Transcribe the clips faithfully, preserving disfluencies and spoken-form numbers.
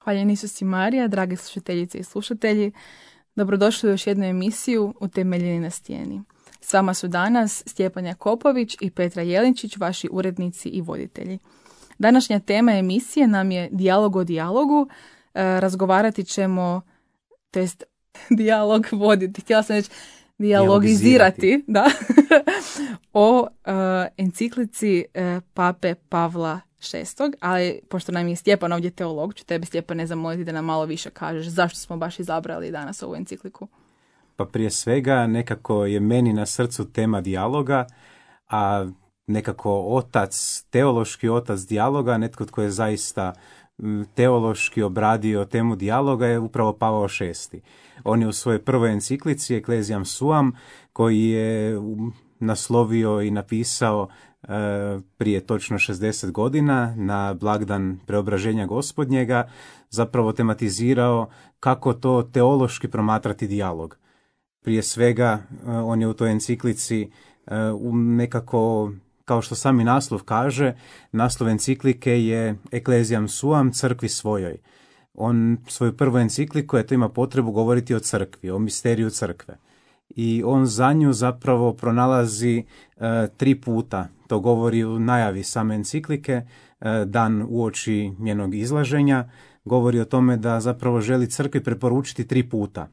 Hvaljeni Isus i Marija, drage slušateljice i slušatelji, dobrodošli u još jednu emisiju Utemeljeni na stijeni. S vama su danas Stjepan Jakopović i Petra Jelinčić, vaši urednici i voditelji. Današnja tema emisije nam je dijalog o dijalogu. E, razgovarati ćemo, to jest dijalog voditi, htjela sam reći dijalogizirati, da, o e, enciklici e, Pape Pavla šestog, ali pošto nam je Stjepan ovdje teolog, ću tebe, Stjepane, zamoliti da nam malo više kažeš zašto smo baš izabrali danas ovu encikliku. Pa prije svega nekako je meni na srcu tema dijaloga, a nekako otac, teološki otac dijaloga, netko tko je zaista teološki obradio temu dijaloga je upravo Pavao šesti. On je u svojoj prvoj enciklici Ecclesiam Suam, koji je naslovio i napisao e, prije točno šezdeset godina na blagdan preobraženja Gospodnjega, zapravo tematizirao kako to teološki promatrati dijalog. Prije svega, on je u toj enciklici nekako, kao što sami naslov kaže, naslov enciklike je Ecclesiam Suam, crkvi svojoj. On svoju prvu encikliku, eto, ima potrebu govoriti o crkvi, o misteriju crkve. I on za nju zapravo pronalazi uh, tri puta, to govori u najavi same enciklike, uh, dan uoči njenog izlaženja, govori o tome da zapravo želi crkvi preporučiti tri puta.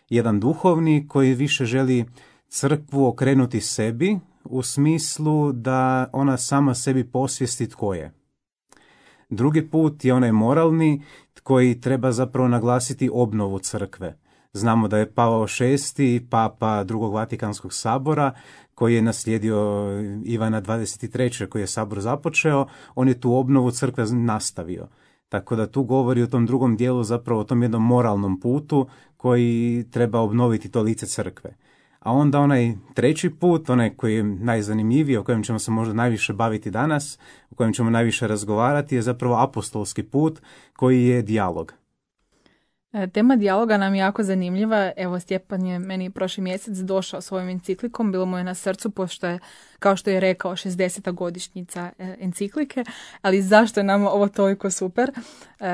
Jedan duhovni koji više želi crkvu okrenuti sebi u smislu da ona sama sebi posvijesti tko je. Drugi put je onaj moralni koji treba zapravo naglasiti obnovu crkve. Znamo da je Pavao šesti, papa drugog Vatikanskog sabora, koji je naslijedio Ivana dvadeset trećeg koji je sabor započeo, on je tu obnovu crkve nastavio. Tako da tu govori o tom drugom dijelu, zapravo o tom jednom moralnom putu koji treba obnoviti to lice crkve. A onda onaj treći put, onaj koji je najzanimljiviji, o kojem ćemo se možda najviše baviti danas, o kojem ćemo najviše razgovarati, je zapravo apostolski put koji je dijalog. Tema dijaloga nam je jako zanimljiva. Evo, Stjepan je meni prošli mjesec došao svojom encikllikom, bilo mu je na srcu, pošto je, kao što je rekao, šezdeseta godišnjica enciklike, ali zašto je nama ovo toliko super?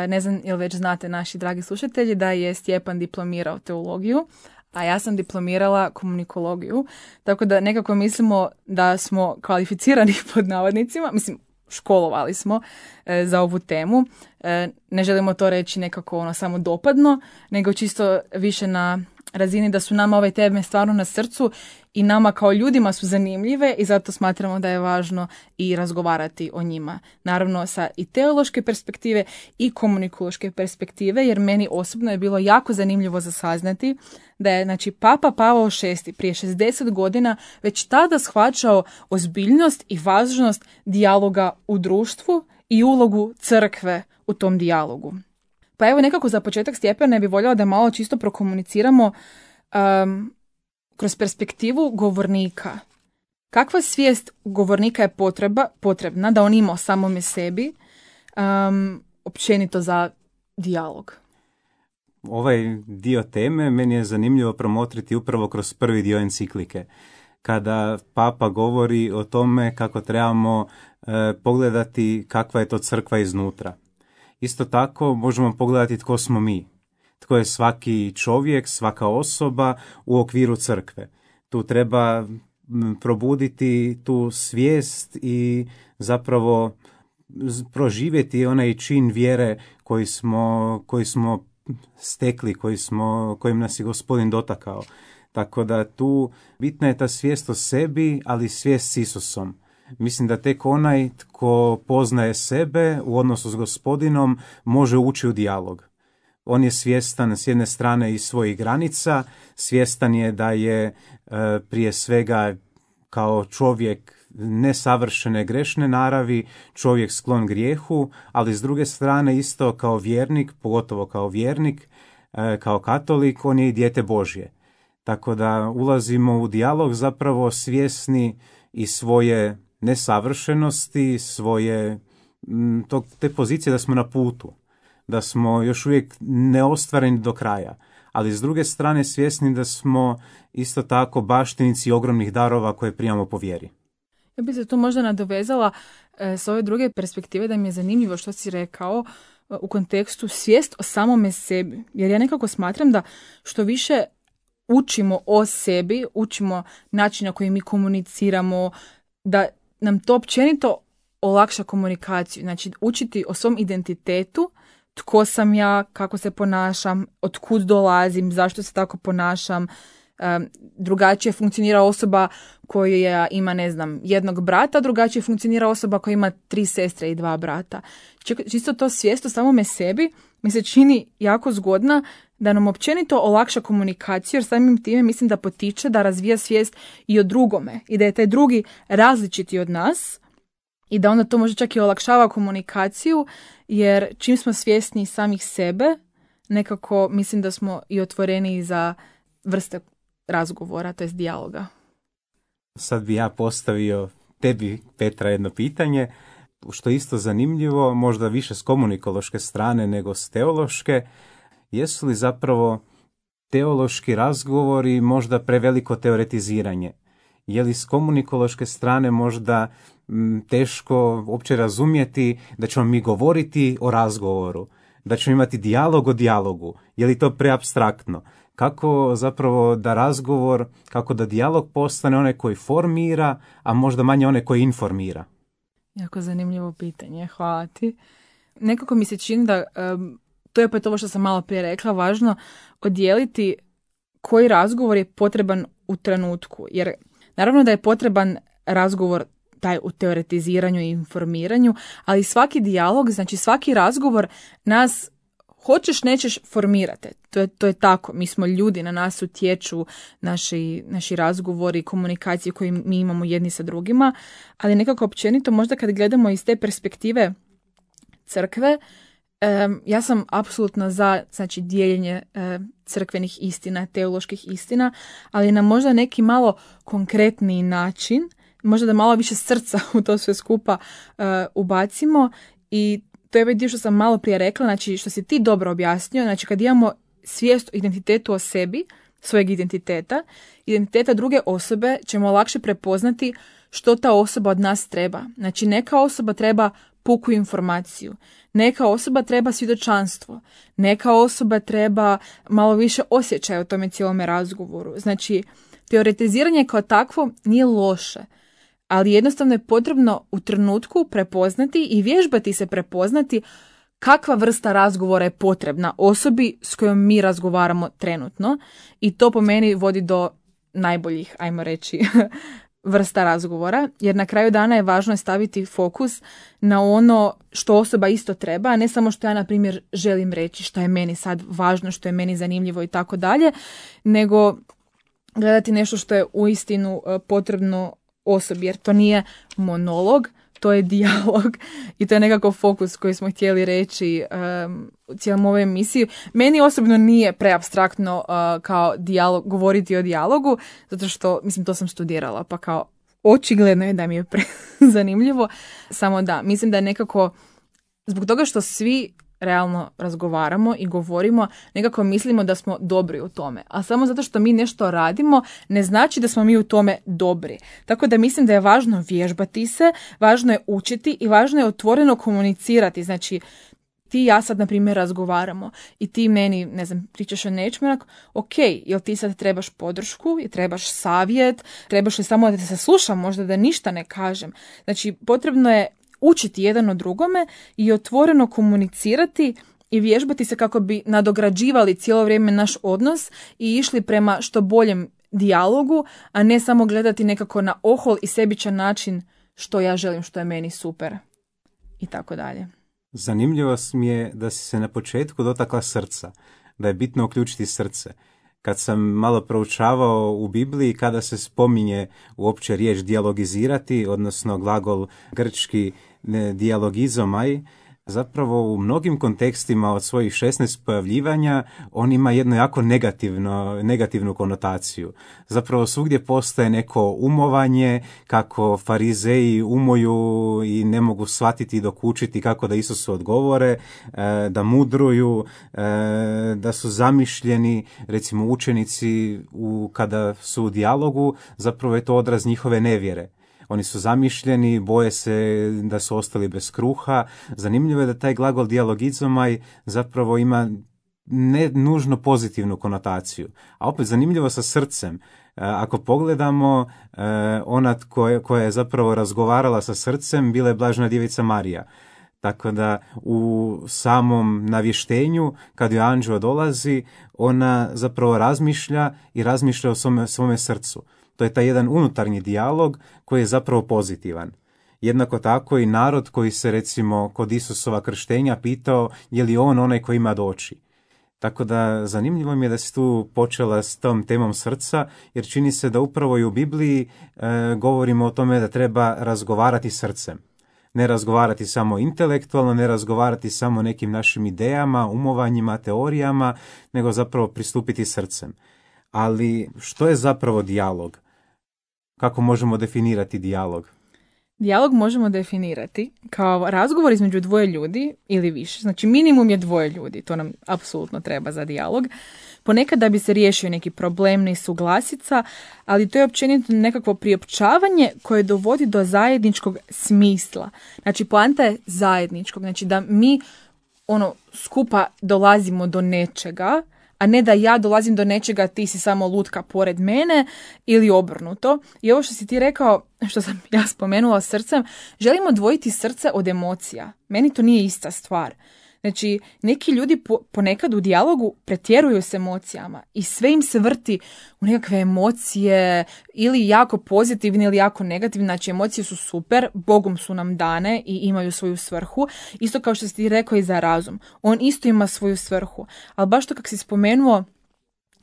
Ne znam ili već znate, naši dragi slušatelji, da je Stjepan diplomirao teologiju, a ja sam diplomirala komunikologiju, tako da nekako mislimo da smo kvalificirani pod navodnicima, mislim, školovali smo e, za ovu temu. E, ne želimo to reći nekako ono samo dopadno, nego čisto više na razini da su nama ove teme stvarno na srcu i nama kao ljudima su zanimljive i zato smatramo da je važno i razgovarati o njima. Naravno sa i teološke perspektive i komunikološke perspektive, jer meni osobno je bilo jako zanimljivo za saznati da je, znači, Papa Pavao šesti prije šezdeset godina već tada shvaćao ozbiljnost i važnost dijaloga u društvu i ulogu crkve u tom dijalogu. Pa evo, nekako za početak, Stjepane, bi voljela da malo čisto prokomuniciramo um, kroz perspektivu govornika. Kakva svijest govornika je potreba, potrebna da on ima o samome sebi, um, općenito za dijalog? Ovaj dio teme meni je zanimljivo promotriti upravo kroz prvi dio enciklike, kada Papa govori o tome kako trebamo e, pogledati kakva je to crkva iznutra. Isto tako možemo pogledati tko smo mi, tko je svaki čovjek, svaka osoba u okviru crkve. Tu treba probuditi tu svijest i zapravo proživjeti onaj čin vjere koji smo, koji smo stekli, koji smo, kojim nas je Gospodin dotakao. Tako da tu bitna je ta svijest o sebi, ali svijest s Isusom. Mislim da tek onaj tko poznaje sebe u odnosu s Gospodinom može ući u dijalog. On je svjestan s jedne strane i svojih granica, svjestan je da je e, prije svega kao čovjek nesavršene, grešne naravi, čovjek sklon grijehu, ali s druge strane isto kao vjernik, pogotovo kao vjernik, e, kao katolik, on je i dijete Božje. Tako da ulazimo u dijalog zapravo svjesni i svoje nesavršenosti, svoje to, te pozicije da smo na putu, da smo još uvijek neostvareni do kraja, ali s druge strane svjesni da smo isto tako baštinici ogromnih darova koje primamo po vjeri. Ja bih se tu možda nadovezala e, s ove druge perspektive, da mi je zanimljivo što si rekao, u kontekstu svijest o samome sebi. Jer ja nekako smatram da što više učimo o sebi, učimo način na koji mi komuniciramo, da nam to općenito olakša komunikaciju. Znači, učiti o svom identitetu, tko sam ja, kako se ponašam, od kud dolazim, zašto se tako ponašam. Um, drugačije funkcionira osoba koja ima, ne znam, jednog brata, drugačije funkcionira osoba koja ima tri sestre i dva brata. Čisto to svijest o samome sebi mi se čini jako zgodna da nam općenito olakša komunikaciju, jer samim time mislim da potiče da razvija svijest i o drugome i da je taj drugi različiti od nas i da onda to može čak i olakšava komunikaciju, jer čim smo svjesni samih sebe, nekako mislim da smo i otvoreni za vrste razgovora, to jest dijaloga. Sad bi ja postavio tebi, Petra, jedno pitanje, što je isto zanimljivo, možda više s komunikološke strane nego s teološke. Jesu li zapravo teološki razgovori možda preveliko teoretiziranje? Je li s komunikološke strane možda m, teško uopće razumjeti da ćemo mi govoriti o razgovoru, da ćemo imati dijalog o dijalogu? Je li to preapstraktno? Kako zapravo da razgovor, kako da dijalog postane onaj koji formira, a možda manje onaj koji informira? Jako zanimljivo pitanje, hvala ti. Nekako mi se čini da, um, to je opet ovo što sam malo prije rekla, važno odijeliti koji razgovor je potreban u trenutku. Jer naravno da je potreban razgovor taj u teoretiziranju i informiranju, ali svaki dijalog, znači svaki razgovor nas hoćeš, nećeš, formirate. To je, to je tako. Mi smo ljudi, na nas utječu naši, naši razgovori, komunikacije koje mi imamo jedni sa drugima, ali nekako općenito možda kad gledamo iz te perspektive crkve, um, ja sam apsolutno za, znači, dijeljenje um, crkvenih istina, teoloških istina, ali na možda neki malo konkretniji način, možda da malo više srca u to sve skupa uh, ubacimo. I to je ovaj dio što sam malo prije rekla, znači što si ti dobro objasnio, znači kad imamo svijest o identitetu o sebi, svojeg identiteta, identiteta druge osobe ćemo lakše prepoznati što ta osoba od nas treba. Znači neka osoba treba puku informaciju, neka osoba treba svjedočanstvo, neka osoba treba malo više osjećaja u tome cijelome razgovoru. Znači teoretiziranje kao takvo nije loše, ali jednostavno je potrebno u trenutku prepoznati i vježbati se prepoznati kakva vrsta razgovora je potrebna osobi s kojom mi razgovaramo trenutno, i to po meni vodi do najboljih, ajmo reći, vrsta razgovora, jer na kraju dana je važno staviti fokus na ono što osoba isto treba, a ne samo što ja, na primjer, želim reći, što je meni sad važno, što je meni zanimljivo i tako dalje, nego gledati nešto što je uistinu potrebno osobi, jer to nije monolog, to je dijalog i to je nekako fokus koji smo htjeli reći um, u cijelom ovoj emisiji. Meni osobno nije preapstraktno uh, kao dijalog, govoriti o dijalogu, zato što, mislim, to sam studirala, pa kao očigledno je da mi je prezanimljivo. Samo da, mislim da je nekako, zbog toga što svi realno razgovaramo i govorimo, nekako mislimo da smo dobri u tome. A samo zato što mi nešto radimo, ne znači da smo mi u tome dobri. Tako da mislim da je važno vježbati se, važno je učiti i važno je otvoreno komunicirati. Znači, ti i ja sad, na primjer, razgovaramo i ti meni, ne znam, pričaš o nečemu, onako, ok, jel ti sad trebaš podršku, jel trebaš savjet, trebaš li samo da te saslušam, možda da ništa ne kažem. Znači, potrebno je učiti jedan od drugome i otvoreno komunicirati i vježbati se kako bi nadograđivali cijelo vrijeme naš odnos i išli prema što boljem dijalogu, a ne samo gledati nekako na ohol i sebičan način što ja želim, što je meni super i tako dalje. Zanimljivo mi je da si se na početku dotakla srca, da je bitno uključiti srce. Kad sam malo proučavao u Bibliji, kada se spominje uopće riječ dijalogizirati, odnosno glagol grčki dijalogizomai, zapravo u mnogim kontekstima od svojih šesnaest pojavljivanja on ima jednu jako negativno, negativnu konotaciju. Zapravo svugdje postoje neko umovanje, kako farizeji umoju i ne mogu shvatiti i dokučiti kako da Isusu odgovore, da mudruju, da su zamišljeni, recimo učenici u, kada su u dijalogu, zapravo je to odraz njihove nevjere. Oni su zamišljeni, boje se da su ostali bez kruha. Zanimljivo je da taj glagol dijalogizomai zapravo ima ne nužno pozitivnu konotaciju. A opet zanimljivo sa srcem. Ako pogledamo, ona koja, koja je zapravo razgovarala sa srcem bila je Blažena djevica Marija. Tako da u samom navještenju, kad joj anđeo dolazi, ona zapravo razmišlja i razmišlja o svome, svome srcu. To je taj jedan unutarnji dijalog koji je zapravo pozitivan. Jednako tako i narod koji se recimo kod Isusova krštenja pitao je li on onaj koji ima doći. Tako da zanimljivo mi je da si tu počela s tom temom srca, jer čini se da upravo i u Bibliji e, govorimo o tome da treba razgovarati srcem. Ne razgovarati samo intelektualno, ne razgovarati samo nekim našim idejama, umovanjima, teorijama, nego zapravo pristupiti srcem. Ali što je zapravo dijalog? Kako možemo definirati dijalog? Dijalog možemo definirati kao razgovor između dvoje ljudi ili više. Znači minimum je dvoje ljudi, to nam apsolutno treba za dijalog. Ponekad da bi se riješio neki problem, nesuglasica, ali to je općenito nekakvo priopćavanje koje dovodi do zajedničkog smisla. Znači poanta je zajedničkog, znači da mi ono skupa dolazimo do nečega, a ne da ja dolazim do nečega, ti si samo lutka pored mene ili obrnuto. I ovo što si ti rekao, što sam ja spomenula srcem, želimo odvojiti srce od emocija. Meni to nije ista stvar. Znači, neki ljudi po, ponekad u dijalogu pretjeruju s emocijama i sve im se vrti u nekakve emocije ili jako pozitivne ili jako negativne. Znači, emocije su super, Bogom su nam dane i imaju svoju svrhu. Isto kao što si ti rekao i za razum. On isto ima svoju svrhu. Ali baš to kako si spomenuo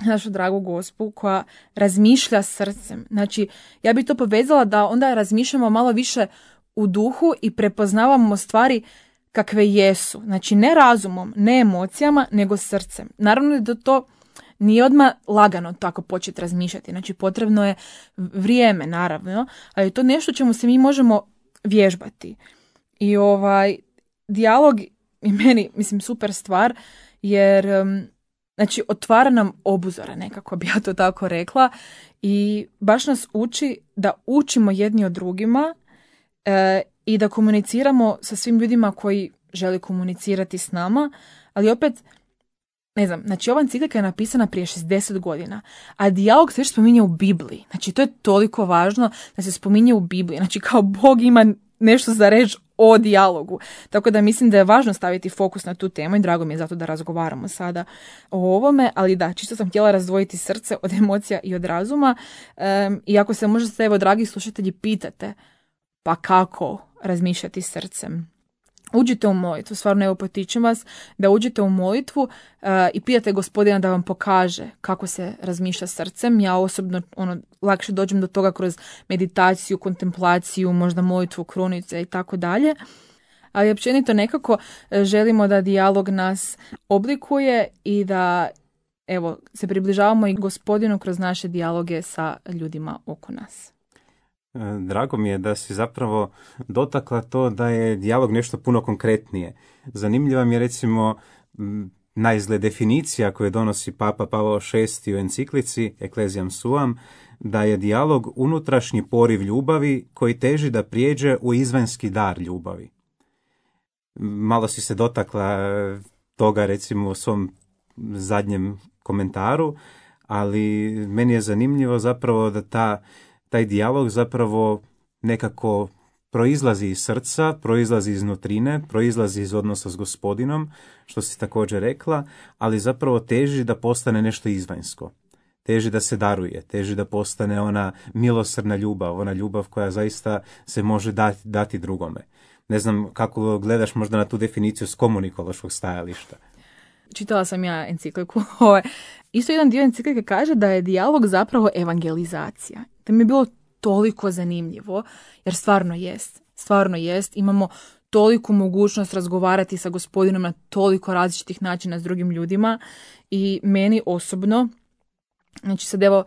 našu dragu Gospu koja razmišlja srcem. Znači, ja bih to povezala da onda razmišljamo malo više u duhu i prepoznavamo stvari kakve jesu. Znači ne razumom, ne emocijama, nego srcem. Naravno da to nije odmah lagano tako početi razmišljati. Znači potrebno je vrijeme, naravno, ali je to nešto čemu se mi možemo vježbati. I ovaj dijalog je meni, mislim, super stvar, jer znači otvara nam obuzore, nekako bi ja to tako rekla, i baš nas uči da učimo jedni od drugima e, i da komuniciramo sa svim ljudima koji žele komunicirati s nama, ali opet, ne znam, znači ova enciklika je napisana prije šezdeset godina, a dijalog se još spominje u Bibliji. Znači to je toliko važno da se spominje u Bibliji. Znači kao Bog ima nešto za reći o dijalogu. Tako da mislim da je važno staviti fokus na tu temu i drago mi je zato da razgovaramo sada o ovome, ali da, čisto sam htjela razdvojiti srce od emocija i od razuma. Um, I ako se možda se, evo, dragi slušatelji, pitate pa kako razmišljati srcem, uđite u molitvu, stvarno evo potičem vas da uđete u molitvu uh, i pitate Gospodina da vam pokaže kako se razmišlja srcem. Ja osobno ono, lakše dođem do toga kroz meditaciju, kontemplaciju, možda molitvu krunice i tako dalje. Ali općenito nekako želimo da dijalog nas oblikuje i da evo, se približavamo i Gospodinu kroz naše dijaloge sa ljudima oko nas. Drago mi je da si zapravo dotakla to da je dijalog nešto puno konkretnije. Zanimljiva mi je recimo naizgled definicija koju donosi Papa Pavao šesti u enciklici Ecclesiam Suam, da je dijalog unutrašnji poriv ljubavi koji teži da prijeđe u izvanjski dar ljubavi. Malo si se dotakla toga recimo u svom zadnjem komentaru, ali meni je zanimljivo zapravo da ta taj dijalog zapravo nekako proizlazi iz srca, proizlazi iz nutrine, proizlazi iz odnosa s Gospodinom, što si također rekla, ali zapravo teži da postane nešto izvanjsko. Teži da se daruje, teži da postane ona milosrdna ljubav, ona ljubav koja zaista se može dati, dati drugome. Ne znam kako gledaš možda na tu definiciju s komunikološkog stajališta. Čitala sam ja encikliku. Isto jedan dio enciklike kaže da je dijalog zapravo evangelizacija. To mi je bilo toliko zanimljivo, jer stvarno jest. Stvarno jest. Imamo toliku mogućnost razgovarati sa Gospodinom na toliko različitih načina s drugim ljudima i meni osobno, znači sad evo,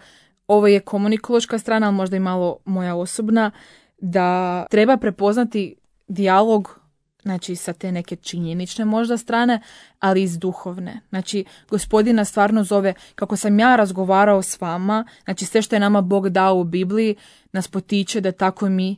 ovo je komunikološka strana, ali možda i malo moja osobna, da treba prepoznati dijalog znači sa te neke činjenične možda strane, ali iz duhovne. Znači, Gospodina stvarno zove, kako sam ja razgovarao s vama, znači sve što je nama Bog dao u Bibliji, nas potiče da tako mi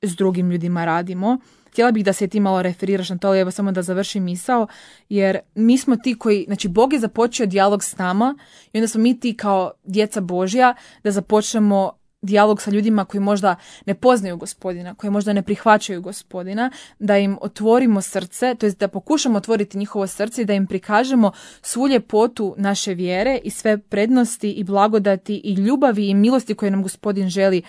s drugim ljudima radimo. Htjela bih da se ti malo referiraš na to, ali evo samo da završim misao, jer mi smo ti koji, znači Bog je započeo dijalog s nama i onda smo mi ti kao djeca Božja da započnemo dijalog sa ljudima koji možda ne poznaju Gospodina, koji možda ne prihvaćaju Gospodina, da im otvorimo srce, to jest da pokušamo otvoriti njihovo srce i da im prikažemo svu ljepotu naše vjere i sve prednosti i blagodati i ljubavi i milosti koje nam Gospodin želi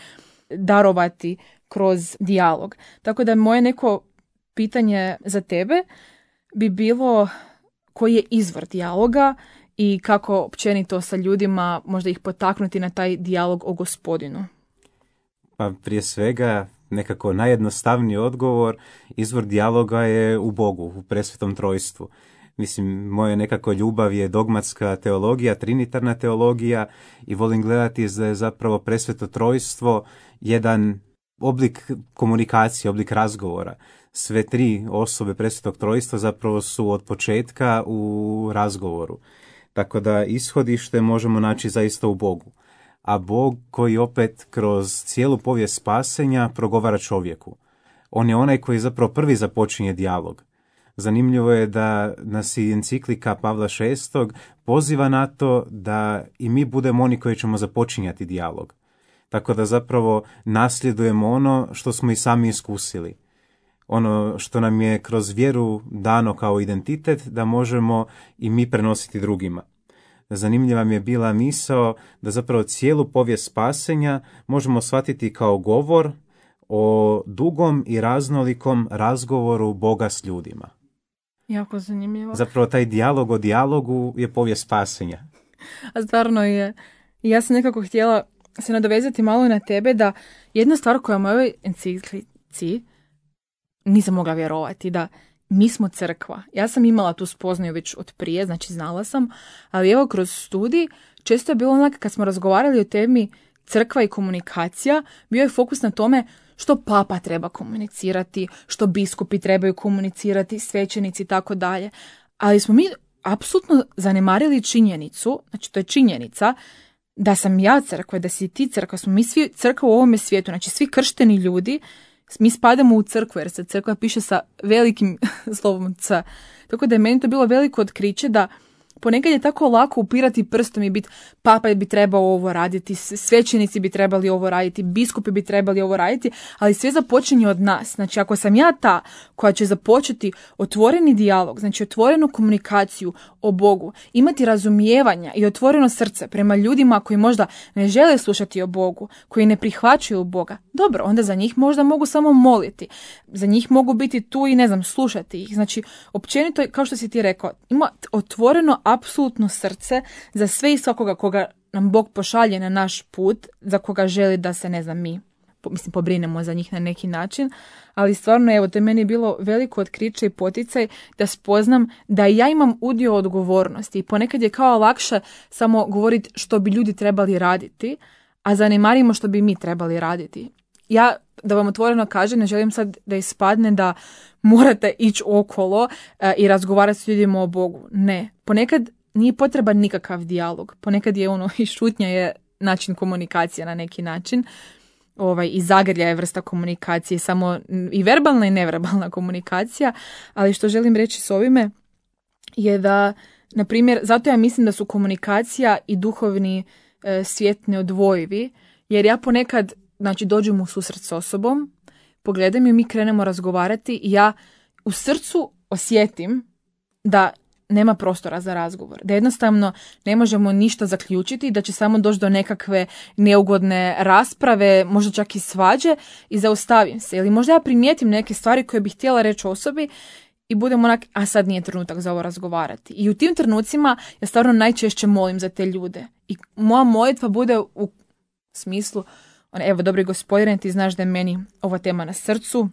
darovati kroz dijalog. Tako da moje neko pitanje za tebe bi bilo koji je izvor dijaloga i kako općenito sa ljudima možda ih potaknuti na taj dijalog o Gospodinu. Pa prije svega nekako najjednostavniji odgovor, izvor dijaloga je u Bogu, u presvetom trojstvu. Mislim, moja nekako ljubav je dogmatska teologija, trinitarna teologija i volim gledati da je zapravo presveto trojstvo jedan oblik komunikacije, oblik razgovora. Sve tri osobe presvetog trojstva zapravo su od početka u razgovoru. Tako da ishodište možemo naći zaista u Bogu. A Bog koji opet kroz cijelu povijest spasenja progovara čovjeku. On je onaj koji zapravo prvi započinje dijalog. Zanimljivo je da nas i enciklika Pavla šestog poziva na to da i mi budemo oni koji ćemo započinjati dijalog. Tako da zapravo nasljedujemo ono što smo i sami iskusili. Ono što nam je kroz vjeru dano kao identitet, da možemo i mi prenositi drugima. Zanimljiva mi je bila misao da zapravo cijelu povijest spasenja možemo shvatiti kao govor o dugom i raznolikom razgovoru Boga s ljudima. Jako zanimljivo. Zapravo taj dijalog o dijalogu je povijest spasenja. A stvarno je. Ja sam nekako htjela se nadovezati malo na tebe da jedna stvar koja u mojoj enciklici nisam mogla vjerovati, da mi smo crkva. Ja sam imala tu spoznaju već od prije, znači znala sam, ali evo kroz studij često je bilo onak kad smo razgovarali o temi crkva i komunikacija, bio je fokus na tome što papa treba komunicirati, što biskupi trebaju komunicirati, svećenici i tako dalje. Ali smo mi apsolutno zanemarili činjenicu, znači to je činjenica, da sam ja crkva, da si ti crkva, smo mi svi crkva u ovome svijetu, znači svi kršteni ljudi, mi spadamo u crkvu jer se crkva piše sa velikim slovom C. Tako da je meni to bilo veliko otkriće da ponekad je tako lako upirati prstom i biti papa bi trebao ovo raditi, svećenici bi trebali ovo raditi, biskupi bi trebali ovo raditi, ali sve započinje od nas. Znači ako sam ja ta koja će započeti otvoreni dijalog, znači otvorenu komunikaciju o Bogu, imati razumijevanja i otvoreno srce prema ljudima koji možda ne žele slušati o Bogu, koji ne prihvaćaju Boga, dobro, onda za njih možda mogu samo moliti, za njih mogu biti tu i ne znam, slušati ih. Znači općenito, kao što si ti rekao, ima otvoreno apsolutno srce za sve i svakoga koga nam Bog pošalje na naš put, za koga želi da se, ne znam, mi mislim, pobrinemo za njih na neki način, ali stvarno, evo, to je meni bilo veliko otkriće i poticaj da spoznam da ja imam udio odgovornosti i ponekad je kao lakše samo govoriti što bi ljudi trebali raditi, a zanemarimo što bi mi trebali raditi. Ja, da vam otvoreno kažem, ne želim sad da ispadne da morate ići okolo e, i razgovarati s ljudima o Bogu. Ne. Ponekad nije potreban nikakav dijalog. Ponekad je ono i šutnja je način komunikacije na neki način. Ovaj, i zagrlja je vrsta komunikacije, samo i verbalna i neverbalna komunikacija. Ali što želim reći s ovime je da, na primjer, zato ja mislim da su komunikacija i duhovni e, svijet neodvojivi, jer ja ponekad, znači, dođem u susret s osobom, pogledam ju, mi krenemo razgovarati i ja u srcu osjetim da nema prostora za razgovor. Da jednostavno ne možemo ništa zaključiti, da će samo doći do nekakve neugodne rasprave, možda čak i svađe i zaustavim se. Ili možda ja primijetim neke stvari koje bih htjela reći osobi i budem onak, a sad nije trenutak za ovo razgovarati. I u tim trenucima ja stvarno najčešće molim za te ljude. I moja molitva bude u smislu, evo, dobri Gospodine, ti znaš da je meni ova tema na srcu,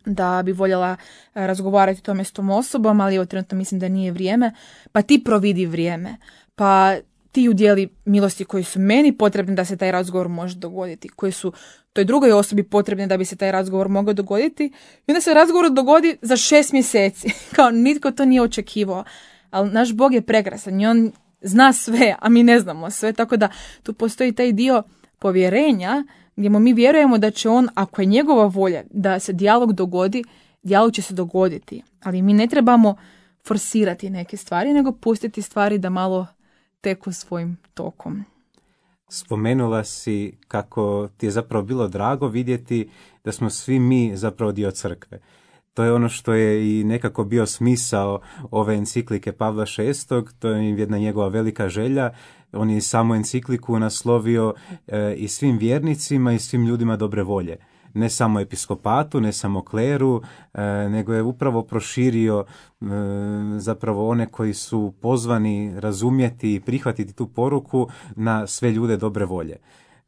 da bi voljela razgovarati o tome s tom osobom, ali evo trenutno mislim da nije vrijeme, pa ti providi vrijeme, pa ti udjeli milosti koji su meni potrebni da se taj razgovor može dogoditi, koji su toj drugoj osobi potrebni da bi se taj razgovor mogao dogoditi. I onda se razgovor dogodi za šest mjeseci. Kao nitko to nije očekivao. Ali naš Bog je prekrasan i on zna sve, a mi ne znamo sve. Tako da tu postoji taj dio povjerenja gdje mi vjerujemo da će on, ako je njegova volja da se dijalog dogodi, dijalog će se dogoditi. Ali mi ne trebamo forsirati neke stvari, nego pustiti stvari da malo teku svojim tokom. Spomenula si kako ti je zapravo bilo drago vidjeti da smo svi mi zapravo dio crkve. To je ono što je i nekako bio smisao ove enciklike Pavla šestog, to je jedna njegova velika želja. On je samu encikliku naslovio e, i svim vjernicima i svim ljudima dobre volje. Ne samo episkopatu, ne samo kleru, e, nego je upravo proširio e, zapravo one koji su pozvani razumjeti i prihvatiti tu poruku na sve ljude dobre volje.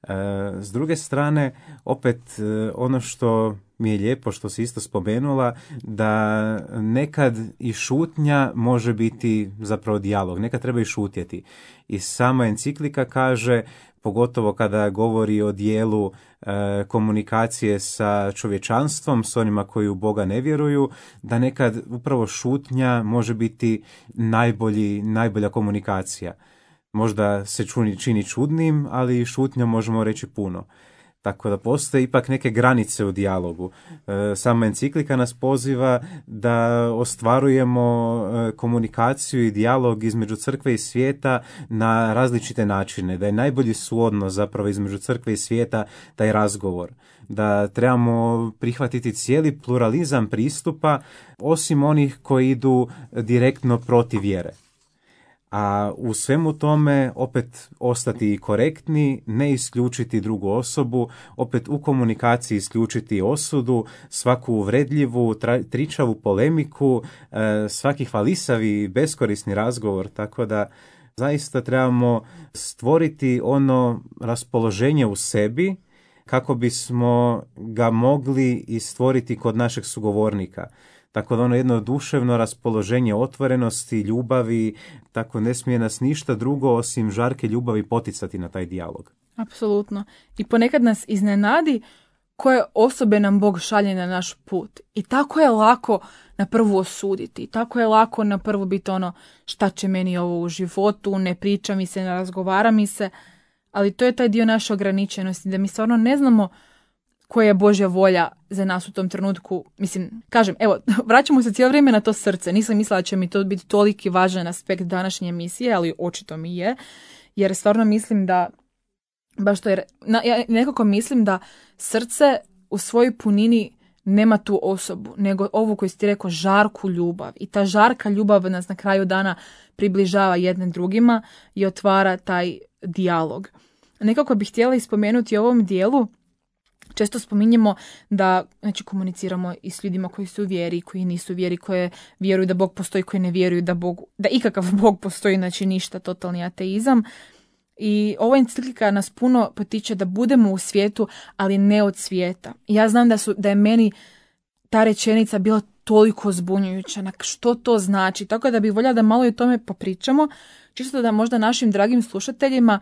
E, s druge strane, opet e, ono što mi je lijepo, što si isto spomenula, da nekad i šutnja može biti zapravo dijalog, nekad treba i šutjeti. I sama enciklika kaže, pogotovo kada govori o dijelu e, komunikacije sa čovječanstvom, s onima koji u Boga ne vjeruju, da nekad upravo šutnja može biti najbolji, najbolja komunikacija. Možda se čuni, čini čudnim, ali šutnja možemo reći puno. Tako da postoje ipak neke granice u dijalogu. E, sama enciklika nas poziva da ostvarujemo e, komunikaciju i dijalog između crkve i svijeta na različite načine. Da je najbolji suodnos zapravo između crkve i svijeta taj razgovor. Da trebamo prihvatiti cijeli pluralizam pristupa, osim onih koji idu direktno protiv vjere. A u svemu tome opet ostati korektni, ne isključiti drugu osobu, opet u komunikaciji isključiti osudu, svaku uvredljivu, tra, tričavu polemiku, e, svaki hvalisavi, beskorisni razgovor, tako da zaista trebamo stvoriti ono raspoloženje u sebi kako bismo ga mogli i stvoriti kod našeg sugovornika. Tako da ono jedno duševno raspoloženje otvorenosti, ljubavi, tako ne smije nas ništa drugo osim žarke ljubavi poticati na taj dijalog. Apsolutno. I ponekad nas iznenadi koje osobe nam Bog šalje na naš put. I tako je lako na prvu osuditi. I tako je lako na prvu biti ono šta će meni ovo u životu, ne priča mi se, ne razgovara mi se. Ali to je taj dio naše ograničenosti, da mi stvarno ne znamo koja je Božja volja za nas u tom trenutku. Mislim, kažem, evo, vraćamo se cijelo vrijeme na to srce. Nisam mislila da će mi to biti toliki važan aspekt današnje emisije, ali očito mi je. Jer stvarno mislim da, baš to je, na, ja nekako mislim da srce u svojoj punini nema tu osobu, nego ovu koju si ti rekao, žarku ljubav. I ta žarka ljubav nas na kraju dana približava jednim drugima i otvara taj dijalog. Nekako bih htjela ispomenuti u ovom dijelu. Često spominjemo da, znači, komuniciramo i s ljudima koji su u vjeri, koji nisu u vjeri, koje vjeruju da Bog postoji, koji ne vjeruju da Bog, da ikakav Bog postoji, znači ništa, totalni ateizam. I ova enciklika nas puno potiče da budemo u svijetu, ali ne od svijeta. I ja znam da su, da je meni ta rečenica bila toliko zbunjujuća, na što to znači. Tako da bih voljela da malo i o tome popričamo, čisto da možda našim dragim slušateljima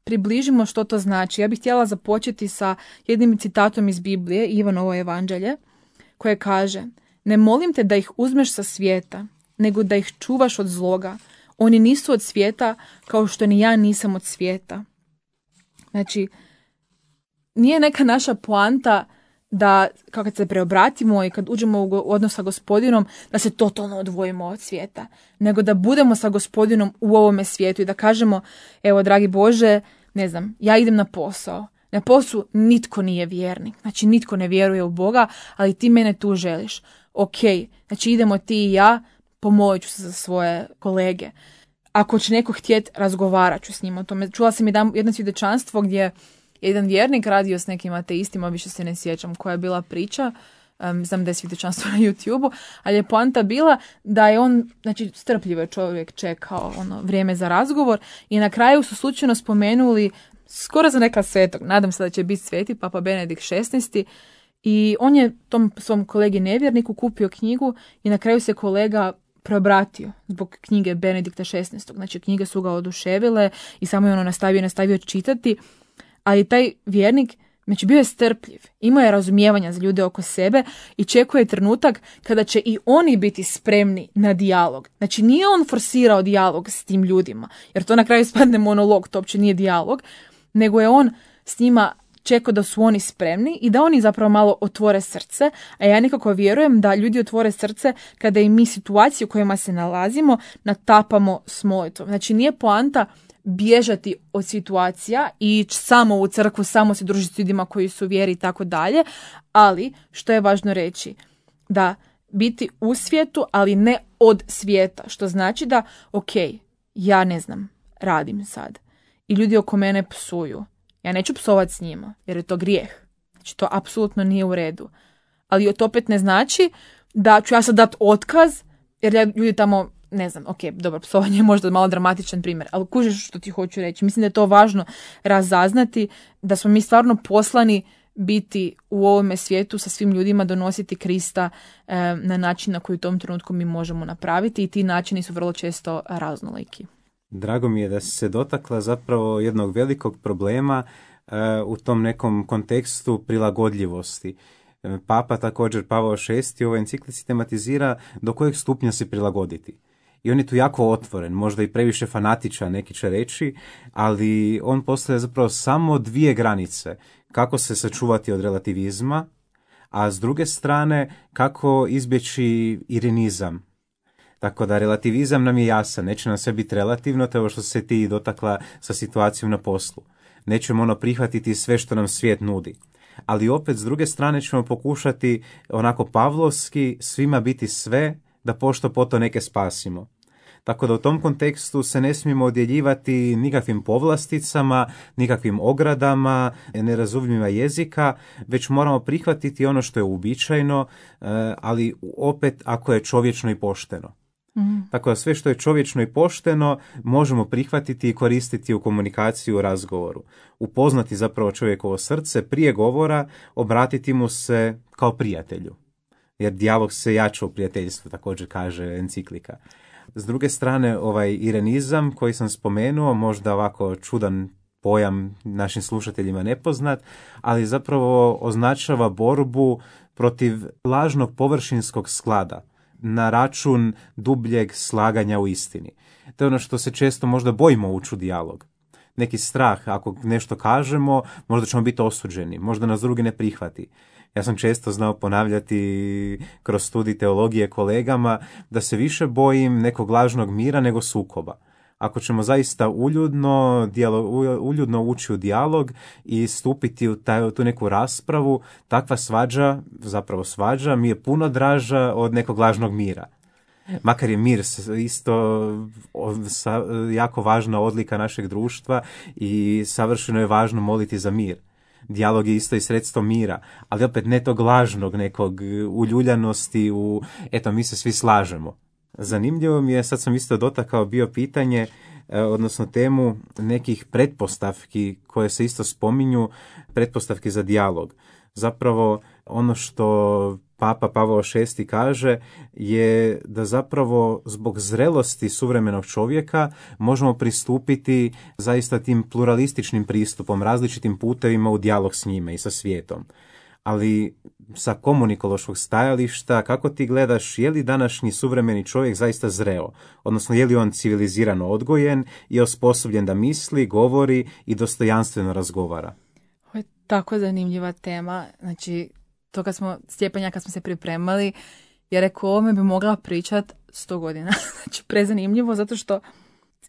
približimo što to znači. Ja bih htjela započeti sa jednim citatom iz Biblije, Ivanovo evanđelje, koje kaže: ne molim te da ih uzmeš sa svijeta, nego da ih čuvaš od zloga. Oni nisu od svijeta, kao što ni ja nisam od svijeta. Znači, nije neka naša poanta da kad se preobratimo i kad uđemo u odnos sa Gospodinom, da se totalno odvojimo od svijeta, nego da budemo sa Gospodinom u ovome svijetu i da kažemo: evo, dragi Bože, ne znam, ja idem na posao. Na poslu nitko nije vjernik, znači nitko ne vjeruje u Boga, ali ti mene tu želiš. Ok, znači idemo ti i ja, pomolit ću se za svoje kolege. Ako će neko htjeti, razgovarat ću s njim o tome. Čula sam jedno svjedočanstvo gdje jedan vjernik radio s nekim ateistima, više se ne sjećam koja je bila priča, um, znam da je svjedočanstvo na YouTube-u, ali je poanta bila da je on, znači strpljivo je čovjek čekao ono vrijeme za razgovor i na kraju su slučajno spomenuli skoro za neka svetog, nadam se da će biti sveti, Papa Benedikt šesnaesti, i on je tom svom kolegi nevjerniku kupio knjigu i na kraju se kolega preobratio zbog knjige Benedikta šesnaestog. Znači, knjige su ga oduševile i samo je ono nastavio, nastavio čitati. Ali taj vjernik, znači, bio je strpljiv, imao je razumijevanja za ljude oko sebe i čekuje trenutak kada će i oni biti spremni na dijalog. Znači, nije on forsirao dijalog s tim ljudima, jer to na kraju spadne monolog, to uopće nije dijalog, nego je on s njima čekao da su oni spremni i da oni zapravo malo otvore srce, a ja nekako vjerujem da ljudi otvore srce kada i mi situacije u kojima se nalazimo natapamo s molitvom. Znači, nije poanta bježati od situacija i ići samo u crkvu, samo se družiti s ljudima koji su u vjeri i tako dalje, ali što je važno reći, da biti u svijetu, ali ne od svijeta, što znači da, ok, ja ne znam, radim sad i ljudi oko mene psuju. Ja neću psovati s njima, jer je to grijeh. Znači, to apsolutno nije u redu. Ali to opet ne znači da ću ja sad dati otkaz, jer ja ljudi tamo, ne znam, ok, dobro, psovanje je možda malo dramatičan primjer, ali kužiš što ti hoću reći. Mislim da je to važno razaznati, da smo mi stvarno poslani biti u ovome svijetu sa svim ljudima, donositi Krista e, na način na koji u tom trenutku mi možemo napraviti i ti načini su vrlo često raznoliki. Drago mi je da si se dotakla zapravo jednog velikog problema uh, u tom nekom kontekstu prilagodljivosti. Papa također Pavao šesti u ovoj enciklici tematizira do kojeg stupnja se prilagoditi. I on je tu jako otvoren, možda i previše fanatičan, neki će reći, ali on postavlja zapravo samo dvije granice. Kako se sačuvati od relativizma, a s druge strane kako izbjeći irenizam. Tako da relativizam nam je jasan, neće nam sve biti relativno, to je ovo što se ti dotakla sa situacijom na poslu. Nećemo ono prihvatiti sve što nam svijet nudi. Ali opet s druge strane ćemo pokušati onako pavlovski svima biti sve, da pošto poto neke spasimo. Tako da u tom kontekstu se ne smijemo odjeljivati nikakvim povlasticama, nikakvim ogradama, nerazumljivima jezika, već moramo prihvatiti ono što je uobičajeno, ali opet ako je čovječno i pošteno. Mm. Tako da sve što je čovječno i pošteno možemo prihvatiti i koristiti u komunikaciji, u razgovoru. Upoznati zapravo čovjekovo srce prije govora, obratiti mu se kao prijatelju. Jer dijalog se jača u prijateljstvu, također kaže enciklika. S druge strane, ovaj irenizam koji sam spomenuo, možda ovako čudan pojam našim slušateljima nepoznat, ali zapravo označava borbu protiv lažnog površinskog sklada na račun dubljeg slaganja u istini. To je ono što se često možda bojimo ući u dijalog. Neki strah, ako nešto kažemo, možda ćemo biti osuđeni, možda nas drugi ne prihvati. Ja sam često znao ponavljati kroz studij teologije kolegama da se više bojim nekog lažnog mira nego sukoba. Ako ćemo zaista uljudno, dijalo, uljudno ući u dijalog i stupiti u, taj, u tu neku raspravu, takva svađa, zapravo svađa, mi je puno draža od nekog lažnog mira. Makar je mir isto jako važna odlika našeg društva i savršeno je važno moliti za mir. Dijalog je isto i sredstvo mira, ali opet ne tog lažnog nekog uljuljanosti u, eto, mi se svi slažemo. Zanimljivo mi je, sad sam isto dotakao bio pitanje, odnosno temu nekih pretpostavki koje se isto spominju, pretpostavki za dijalog. Zapravo ono što Papa Pavao šesti kaže je da zapravo zbog zrelosti suvremenog čovjeka možemo pristupiti zaista tim pluralističnim pristupom, različitim putevima u dijalog s njime i sa svijetom. Ali sa komunikološkog stajališta, kako ti gledaš, je li današnji suvremeni čovjek zaista zreo? Odnosno, je li on civilizirano odgojen i osposobljen da misli, govori i dostojanstveno razgovara? Ovo je tako zanimljiva tema. Znači, to kad smo, Stjepanja kad smo se pripremali, je rekao, o ovome bi mogla pričat sto godina. Znači, prezanimljivo, zato što,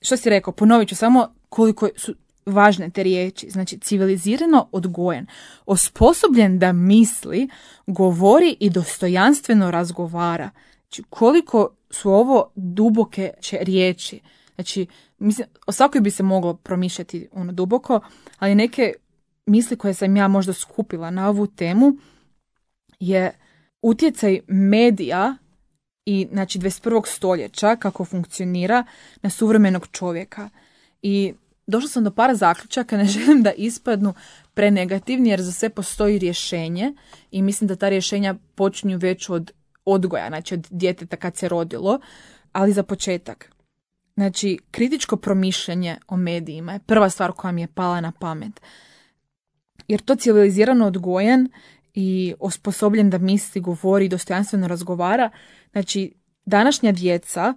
što si rekao, ponovit ću samo koliko su važne te riječi. Znači, civilizirano odgojen, osposobljen da misli, govori i dostojanstveno razgovara. Znači, koliko su ovo duboke riječi. Znači, mislim, o svakoj bi se moglo promišljati ono duboko, ali neke misli koje sam ja možda skupila na ovu temu je utjecaj medija i znači dvadeset prvog stoljeća kako funkcionira na suvremenog čovjeka. I došla sam do par zaključaka, ne želim da ispadnu prenegativni jer za sve postoji rješenje i mislim da ta rješenja počinju već od odgoja, znači od djeteta kad se rodilo. Ali za početak, znači, kritičko promišljanje o medijima je prva stvar koja mi je pala na pamet. Jer to civilizirano odgojen i osposobljen da misli, govori i dostojanstveno razgovara. Znači, današnja djeca,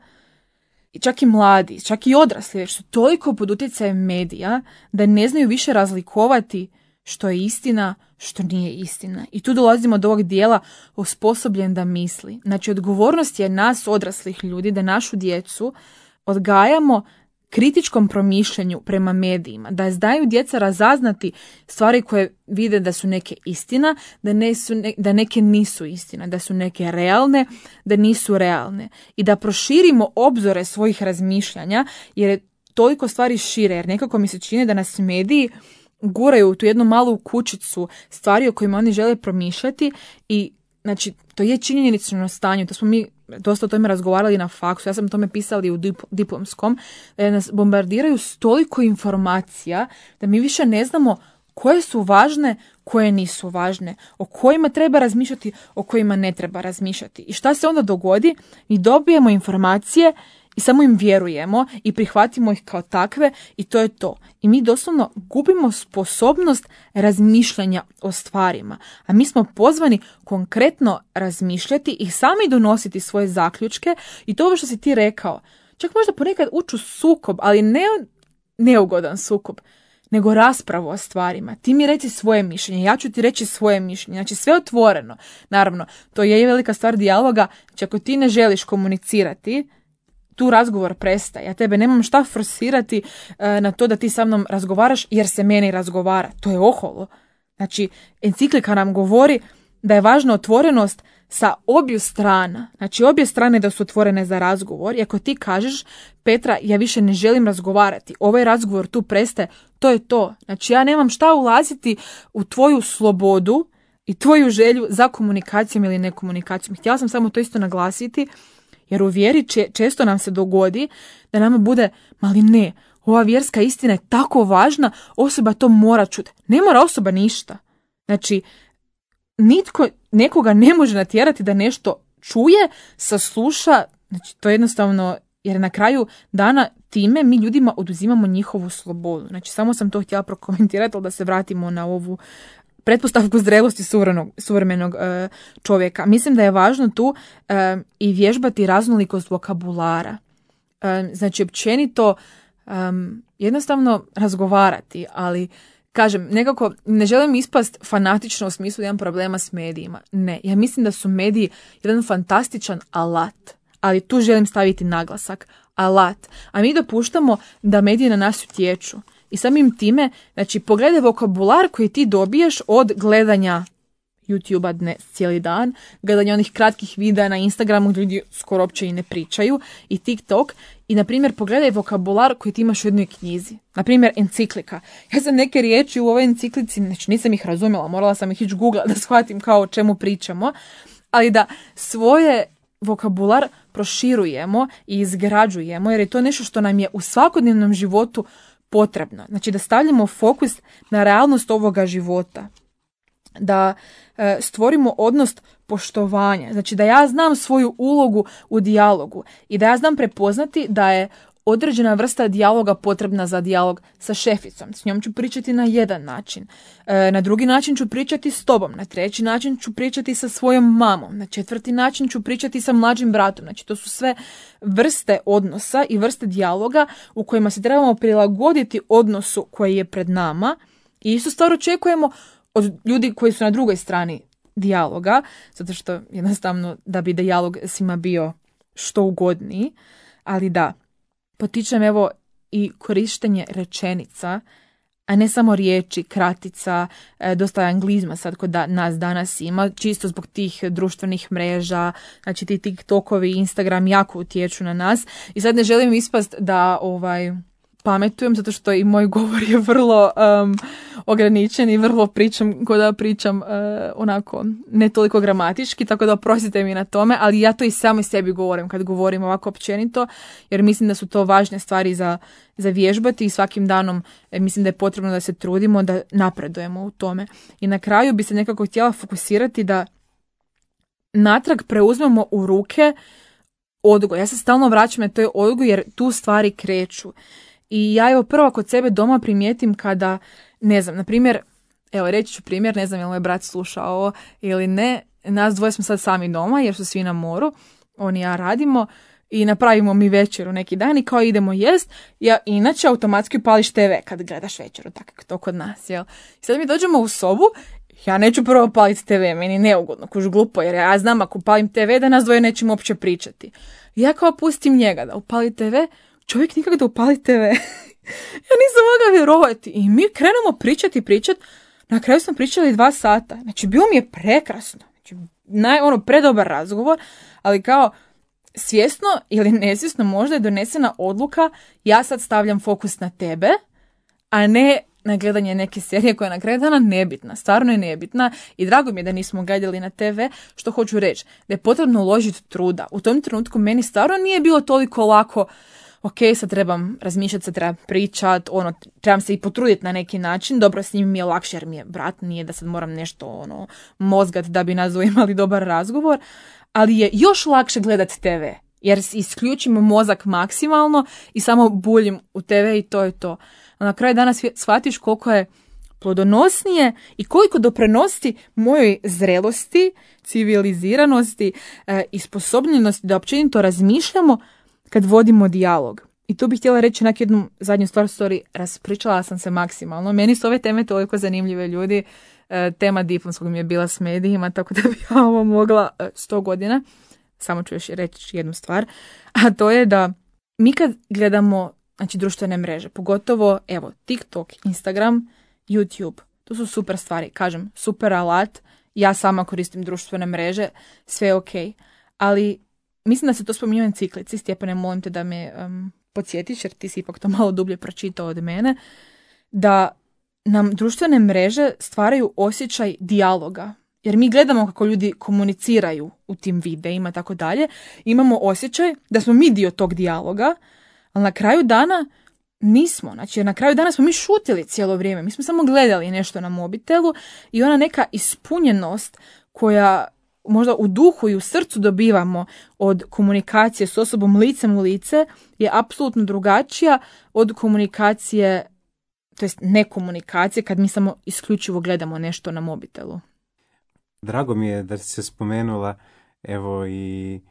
čak i mladi, čak i odrasli, već su toliko pod utjecajem medija da ne znaju više razlikovati što je istina, što nije istina. I tu dolazimo do ovog dijela osposobljen da misli. Znači, odgovornost je nas odraslih ljudi da našu djecu odgajamo kritičkom promišljanju prema medijima, da znaju djeca razaznati stvari koje vide da su neke istina, da, ne su ne, da neke nisu istina, da su neke realne, da nisu realne. I da proširimo obzore svojih razmišljanja, jer je toliko stvari šire, jer nekako mi se čini da nas mediji guraju u tu jednu malu kućicu stvari o kojima oni žele promišljati i znači, to je činjenično stanje, to smo mi dosta o tome razgovarali na faksu, ja sam o tome pisali u dip- diplomskom, da nas bombardiraju s toliko informacija da mi više ne znamo koje su važne, koje nisu važne, o kojima treba razmišljati, o kojima ne treba razmišljati. I šta se onda dogodi? Mi dobijemo informacije i samo im vjerujemo i prihvatimo ih kao takve i to je to. I mi doslovno gubimo sposobnost razmišljanja o stvarima. A mi smo pozvani konkretno razmišljati i sami donositi svoje zaključke i to ovo što si ti rekao. Čak možda ponekad ući u sukob, ali ne neugodan sukob, nego raspravu o stvarima. Ti mi reci svoje mišljenje, ja ću ti reći svoje mišljenje. Znači sve otvoreno. Naravno, to je velika stvar dijaloga. Znači ako ti ne želiš komunicirati, tu razgovor prestaje. Ja tebe nemam šta forsirati e, na to da ti sa mnom razgovaraš jer se meni razgovara. To je oholo. Znači, enciklika nam govori da je važna otvorenost sa obju strana. Znači, obje strane da su otvorene za razgovor. I ako ti kažeš, Petra, ja više ne želim razgovarati, ovaj razgovor tu prestaje, to je to. Znači, ja nemam šta ulaziti u tvoju slobodu i tvoju želju za komunikacijom ili nekomunikacijom. Htjela sam samo to isto naglasiti, jer u vjeri često nam se dogodi da nama bude, mali ne, ova vjerska istina je tako važna, osoba to mora čuti. Ne mora osoba ništa. Znači, nitko nekoga ne može natjerati da nešto čuje, sasluša, znači to je jednostavno, jer na kraju dana time mi ljudima oduzimamo njihovu slobodu. Znači, samo sam to htjela prokomentirati, ali da se vratimo na ovu pretpostavku zrelosti suvremenog, suvremenog e, čovjeka. Mislim da je važno tu e, i vježbati raznolikost vokabulara. E, znači, općenito e, jednostavno razgovarati, ali kažem, nekako ne želim ispast fanatično u smislu da imam problema s medijima. Ne, ja mislim da su mediji jedan fantastičan alat, ali tu želim staviti naglasak. Alat. A mi dopuštamo da mediji na nas utječu. I samim time, znači, pogledaj vokabular koji ti dobiješ od gledanja YouTube-a dnes cijeli dan, gledanja onih kratkih videa na Instagramu gdje ljudi skoro uopće i ne pričaju, i TikTok. I, na primjer, pogledaj vokabular koji ti imaš u jednoj knjizi. Na primjer, enciklika. Ja sam neke riječi u ovoj enciklici, znači nisam ih razumjela, morala sam ih ići googla da shvatim kao o čemu pričamo, ali da svoje vokabular proširujemo i izgrađujemo, jer je to nešto što nam je u svakodnevnom životu potrebno. Znači da stavljamo fokus na realnost ovoga života. Da e, stvorimo odnos poštovanja. Znači da ja znam svoju ulogu u dijalogu i da ja znam prepoznati da je određena vrsta dijaloga potrebna za dijalog sa šeficom. S njom ću pričati na jedan način. E, na drugi način ću pričati s tobom. Na treći način ću pričati sa svojom mamom. Na četvrti način ću pričati sa mlađim bratom. Znači to su sve vrste odnosa i vrste dijaloga u kojima se trebamo prilagoditi odnosu koji je pred nama. I isto stvar očekujemo od ljudi koji su na drugoj strani dijaloga, zato što jednostavno da bi dijalog svima bio što ugodniji. Ali da, potičem evo i korištenje rečenica, a ne samo riječi, kratica, dosta anglizma sad kod da, nas danas ima, čisto zbog tih društvenih mreža, znači ti TikTokovi, Instagram jako utječu na nas. I sad ne želim ispast da ovaj pametujem, zato što i moj govor je vrlo um, ograničen i vrlo pričam, kod da pričam uh, onako ne toliko gramatički, tako da oprostite mi na tome, ali ja to i samo sebi govorim kad govorim ovako općenito, jer mislim da su to važne stvari za, za vježbati i svakim danom mislim da je potrebno da se trudimo da napredujemo u tome. I na kraju bi se nekako htjela fokusirati da natrag preuzmemo u ruke odgoj. Ja se stalno vraćam na to je odgoj jer tu stvari kreću. I ja evo prvo kod sebe doma primijetim kada, ne znam, na primjer, evo reći ću primjer, ne znam je li moj brat slušao ovo ili ne, nas dvoje smo sad sami doma jer su svi na moru, on i ja radimo i napravimo mi večeru neki dan i kao idemo jest, ja inače automatski upališ te ve kad gledaš večeru, tako to kod nas, jel? I sad mi dođemo u sobu, ja neću prvo upaliti te ve, meni neugodno, kuž glupo, jer ja znam ako upalim te ve da nas dvoje nećemo uopće pričati. I ja kao pustim njega da upali te ve, čovjek nikak da upali te ve. Ja nisam mogla vjerovati. I mi krenemo pričati, pričati. Na kraju smo pričali dva sata. Znači, bilo mi je prekrasno. Znači, naj, ono, predobar razgovor. Ali kao, svjesno ili nesvjesno možda je donesena odluka, ja sad stavljam fokus na tebe, a ne na gledanje neke serije koja je na kraju dana nebitna. Stvarno je nebitna. I drago mi je da nismo gledali na te ve. Što hoću reći? Da je potrebno uložiti truda. U tom trenutku meni stvarno nije bilo toliko lako, ok, sad trebam razmišljati, sad trebam pričat, ono, trebam se i potruditi na neki način. Dobro, s njim mi je lakše jer mi je brat, nije da sad moram nešto ono, mozgat da bi nas imali dobar razgovor, ali je još lakše gledati te ve, jer isključim mozak maksimalno i samo buljim u te ve i to je to. A na kraju dana shvatiš koliko je plodonosnije i koliko doprinosi mojoj zrelosti, civiliziranosti e, i sposobnosti da općenito razmišljamo kad vodimo dijalog. I tu bih htjela reći na jednu zadnju stvar, sorry, raspričala sam se maksimalno. Meni su ove teme toliko zanimljive, ljudi. E, tema diplomskog mi je bila s medijima, tako da bi ja ovo mogla e, sto godina. Samo ću još reći jednu stvar. A to je da mi kad gledamo, znači, društvene mreže, pogotovo, evo, TikTok, Instagram, YouTube, to su super stvari. Kažem, super alat. Ja sama koristim društvene mreže, sve je ok. Ali mislim da se to spominje u enciklici. Stjepane, molim te da me um, podsjetiš, jer ti si ipak to malo dublje pročitao od mene, da nam društvene mreže stvaraju osjećaj dijaloga. Jer mi gledamo kako ljudi komuniciraju u tim videima i tako dalje. Imamo osjećaj da smo mi dio tog dijaloga, ali na kraju dana nismo. Znači, na kraju dana smo mi šutili cijelo vrijeme. Mi smo samo gledali nešto na mobitelu i ona neka ispunjenost koja možda u duhu i u srcu dobivamo od komunikacije s osobom licem u lice je apsolutno drugačija od komunikacije, to jest nekomunikacije, kad mi samo isključivo gledamo nešto na mobitelu. Drago mi je da si se spomenula evo i